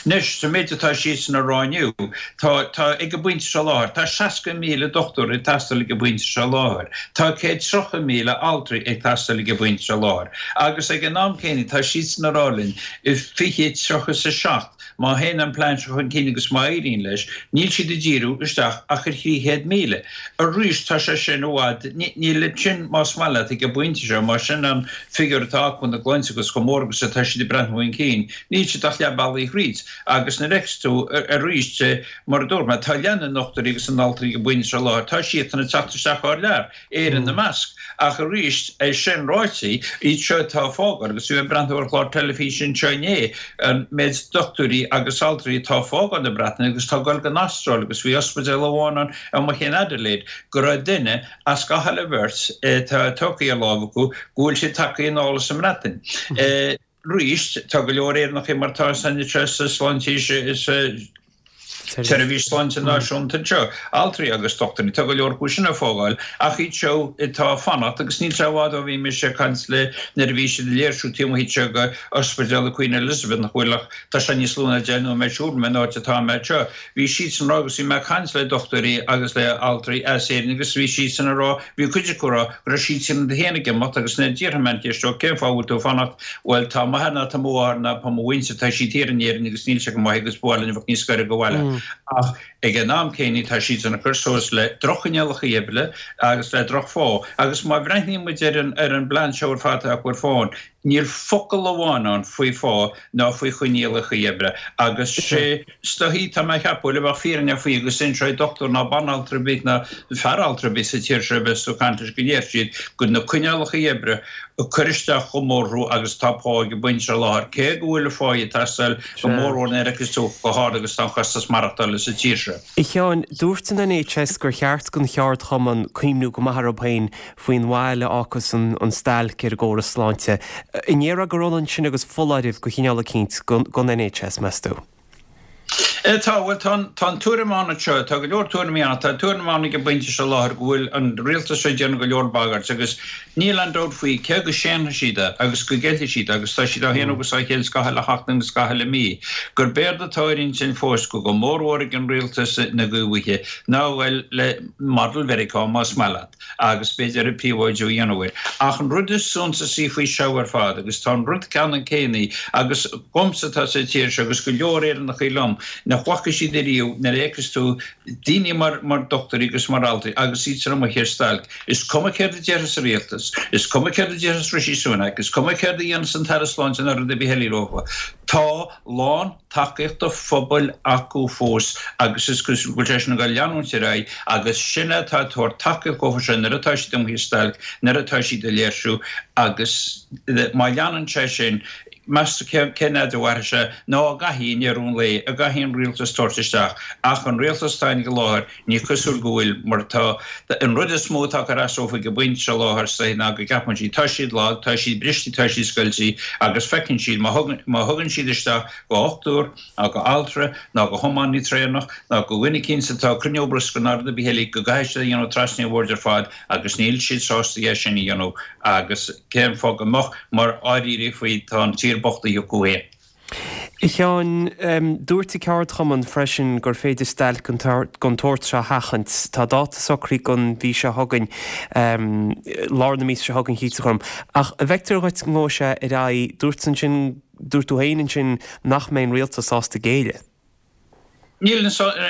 O: Anois, sa méid atá siadsan a rá inniu, tá, tá, ag an bpointe seo láthair, tá 60,000 dochtúir ag teastáil ag an bpointe seo láthair. Tá 130,000 altraí ag teastáil ag an bpointe seo láthair. Agus ag an am céanna, tá siadsan a rá linn, I 2037, má théann an plean seo chun cinn agus má éiríonn leis, níl siad ag díriú isteach ach ar 300,000. Arís, tá sé sin i bhfad, níl sin, más maith leat, ag an bpointe seo, más sin an figiúr atá acu ina gcloigne agus chomh mór agus atá siad ag breathnú chun cinn, níl siad ach leath bealaigh thríd. Agus nuair a fheiceas tú, arís, mar a dúirt mé, tá leath na ndochtúirí agus na n-altraí ag an bpointe seo láthair, tá siadsan ag teacht isteach thar lear. Éire ina measc. Ach arís, é sin ráite, iad seo atá ag fágáil, agus bhí mé ag breathnú ar chlár teilifíse anseo inné, an méid dochtúirí agus altraí atá ag fágáil na Breataine agus atá ag dul don Astráil agus bhí ospidéal amháin ann amuigh in Adelaide go raibh duine as gach uile bheirt atá tugtha ar láimh acu go bhfuil siad tagtha anall as an mBreatain. Arís, tá go leor Éireannacha mar atá san NHS sa sláinte sa tSeirbhís Sláinte Náisiúnta anseo, altraí agus dochtúirí, tá go leor acu sin ag fágáil, ach iad seo atá ag fanacht, agus níl sé i bhfad ó bhí mise ag caint le, nuair a bhí siad ag léirsiú taobh amuigh anseo de Ospidéal Queen Elizabeth, nach bhfuil ach, tá sé níos lú ná 10 nóiméad siúl uaim ón áit atá mé anseo. Bhí siadsan ag rá agus bhí mé ag caint le dochtúirí agus le altraí as Éirinn agus bhí siadsan ag rá, bhí cuid acu ag rá go raibh siadsan féin ag imeacht agus nuair a d'fhiafraigh mé an cheist dóibh cén fáth a bhfuil tú ag fanacht, bhuel tá m'athair ná tá mo mháthair ná tá mo mhuintir, tá siad thiar in Éirinn agus níl sé go maith agus ba mhaith linn a bheith níos gaire go bhaile. Ach ag an am céanna tá siadsan ag cur suas le droch-choinníollacha oibre agus le droch-phá agus má bhreathnaíonn muid ar an ar an bplean seo ar fad atá acu ar fáil, Níl focal amháin ann faoi phá ná faoi choinníollacha oibre agus sé is dóichí, tá mé a cheapadh, le bheadh fírinne faoi agus inseoidh dochtúir ná banaltra ar bith ná fear altra ar bith sa tír seo a bheas ag caint leis go ndeir siad go na coinníollacha oibre ag cur isteach chomh mór orthu agus atá pá ag an bpointe seo láthair cé go bhfuil an phá ag teastáil go mórmhór nuair a fheiceas tú chomh hard agus atá an costas maireachtála sa tír seo.
A: A Sheáin, dúirt an NHS gur cheart don cheardchumann cuimhniú go maith orthu féin faoin bhail a fhágfas an stailc ar an gcóras sláinte. An ndéarfá gur ionann sin agus foláireamh de chineál eicínt don NHS, meas tú?
O: Tá, bhuel, tá an, tá an tuairim ann anseo, tá go leor tuairimí ann, tá an tuairim ann ag an bpointe seo láthair go bhfuil an rialtas seo ag déanamh go leor bagairt agus níl aon dabht faoi cé go séanfaidh siad é agus go gceilfidh siad é agus tá siad á shéanadh agus á cheilt gach uile sheachtain agus gach uile mí, gurb éard atá ar intinn fós go go mórmhór ag an rialtas na gCaomhaithe ná a ghoil le model Mheiriceá más maith leat. agus b'fhéidir príobháidiú a dhéanamh air. Ach an rud is suntasaí faoi seo ar fad, agus tá an rud ceannann céanna, agus dhomsa atá sa tír seo agus go leor Éireannachaí liom, nach bhfaca siad ariamh nuair a fheiceas tú daoine mar mar dochtúirí agus mar altraí agus iad san amuigh ar stailc. Is cuma céard a déarfas an rialtas, is cuma céard a déarfas Rishi Sunak, is cuma céard a dhéanfas an tAire Sláinte nó rud ar bith eile leofa, tá lán tacaíocht an phobail acu fós agus is cosúil go bhfuil sé sin ag dul leanúint ar aghaidh agus sin é atá ag tabhairt tacaíocht dhófa sin nuair atá siad amuigh ar stailc, nuair atá siad ag léirsiú agus má leanann sé sin, meas tú cén fhad a mhairfidh sé nó an gcaithfidh i ndeireadh an lae, an gcaithfidh an rialtas tabhairt isteach ach an rialtas atá ag an láthair Ní cosúil go bhfuil, mar tá, an rud is mó atá ag cur as dófa ag an bpointe seo láthair is dóiche ná go gceapann siad, tá siad lag, tá siad briste, tá siad scoilte agus feiceann siad, má thugann, má thugann siad isteach go dhochtúir ná go altra ná go thiománaí traenach ná go dhuine eicínt atá ag cruinniú bruscair ná rud ar bith eile go gcaithfidh siad a dhéanamh trasna an bhoird ar fad agus níl siad sásta é sin a dhéanamh agus cén fáth go mbeadh mar dháiríre faoi tá an tír bochtaithe acu féin.
A: A Sheáin, dúirt an ceardchumann freisin gur féidir stailc den tsórt seo a sheachaint. Tá dáta socraithe don mhí seo chugainn, lár na míosa seo chugainn, chítear dhom. Ach an bhfeictear dhuit go ngabhfaidh sé ar aghaidh? Dúirt ansin, dúirt tú féin ansin nach mbeidh an rialtas sásta géilleadh.
O: Níl,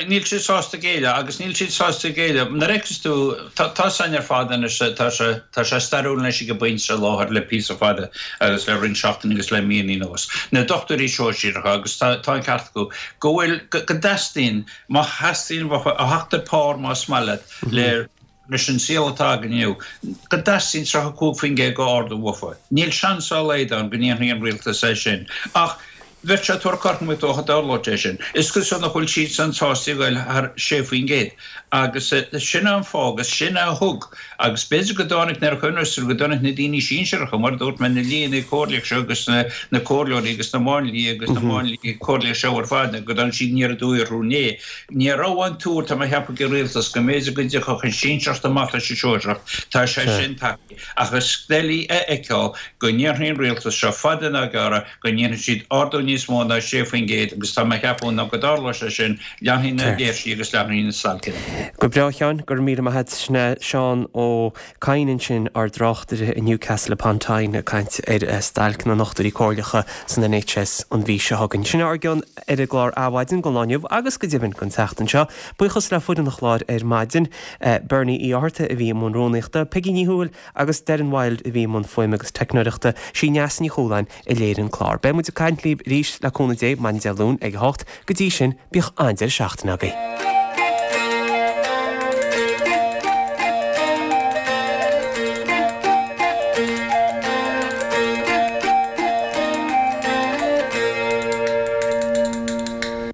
O: níl siad sásta géilleadh agus níl siad sásta géilleadh. Nuair a fheiceas tú, tá, tá's againn ar fad anois, tá sé, tá sé stairiúil anois ag an bpointe seo i láthair le píosa fada agus le roinnt seachtainí agus le míonna anuas. Na dochtúirí sóisearacha agus tá, tá an ceart acu, go bhfuil, go, go dteastaíonn, má theastaíonn, a theacht ar pár más maith leat, le, leis an saol atá againn inniu, go dteastaíonn 35% d'ardú uafa. Níl seans dá laghad ann go ndéanfaidh an rialtas é sin. Ach bheadh sé ag tabhairt cothromaíocht dócha dá dtarlódh sé sin. Is cosúil nach bhfuil siadsan sásta a ghoil thar 6%. Agus sin é an fáth agus sin é a thug, agus b'fhéidir go dtáinig, nuair a chuimhneos tú, go dtáinig na daoine sinsearacha, mar a dúirt mé, na lianna comhairleacha seo agus na comhairleoirí agus na máinliaigh agus na máinliaigh comhairleacha seo ar fad, go dtáinig siad aniar aduaidh orthu inné. Ní raibh an tuar, tá mé a cheapadh, ag an rialtas go mb'fhéidir go dtiocfadh an sinsearacht amach leis an sóisearacht. Tá sé sin tagtha. Ach is doiligh a fheiceáil go ndéanfaidh an rialtas seo, fada ná gearra, go ndéanfaidh siad ardú níos mó ná 6% agus tá mé a cheapadh ná go dtarlóidh sé sin, leanfaidh na léirsithe agus leanfaidh na stailceanna.
A: Go breá, a Sheáin, go raibh míle maith a't. Sin é Seán Ó Cadhain ansin, ár dtráchtaire i Newcastle upon Tyne ag caint ar stailc na ndochtúirí comhairleacha san NHS an mhí seo chugainn. Sin ár gcion ar an gclár Adhmhaidin don lá inniu agus go deimhin don tseachtain seo. Buíochas le foireann an chláir ar maidin, Bernie Uí Fhátharta a bhí i mbun rúnaíochta, Peigí Ní Thuathail agus Darren Wilde a bhí i mbun fuaime agus teicneoireachta, sí Neasa Ní Chualáin a léirigh an clár. Beidh muid ag caint libh arís le cúnamh Dé maidin Dé Luain ag a hocht. Go dtí sin, bíodh an-deireadh seachtaine agaibh.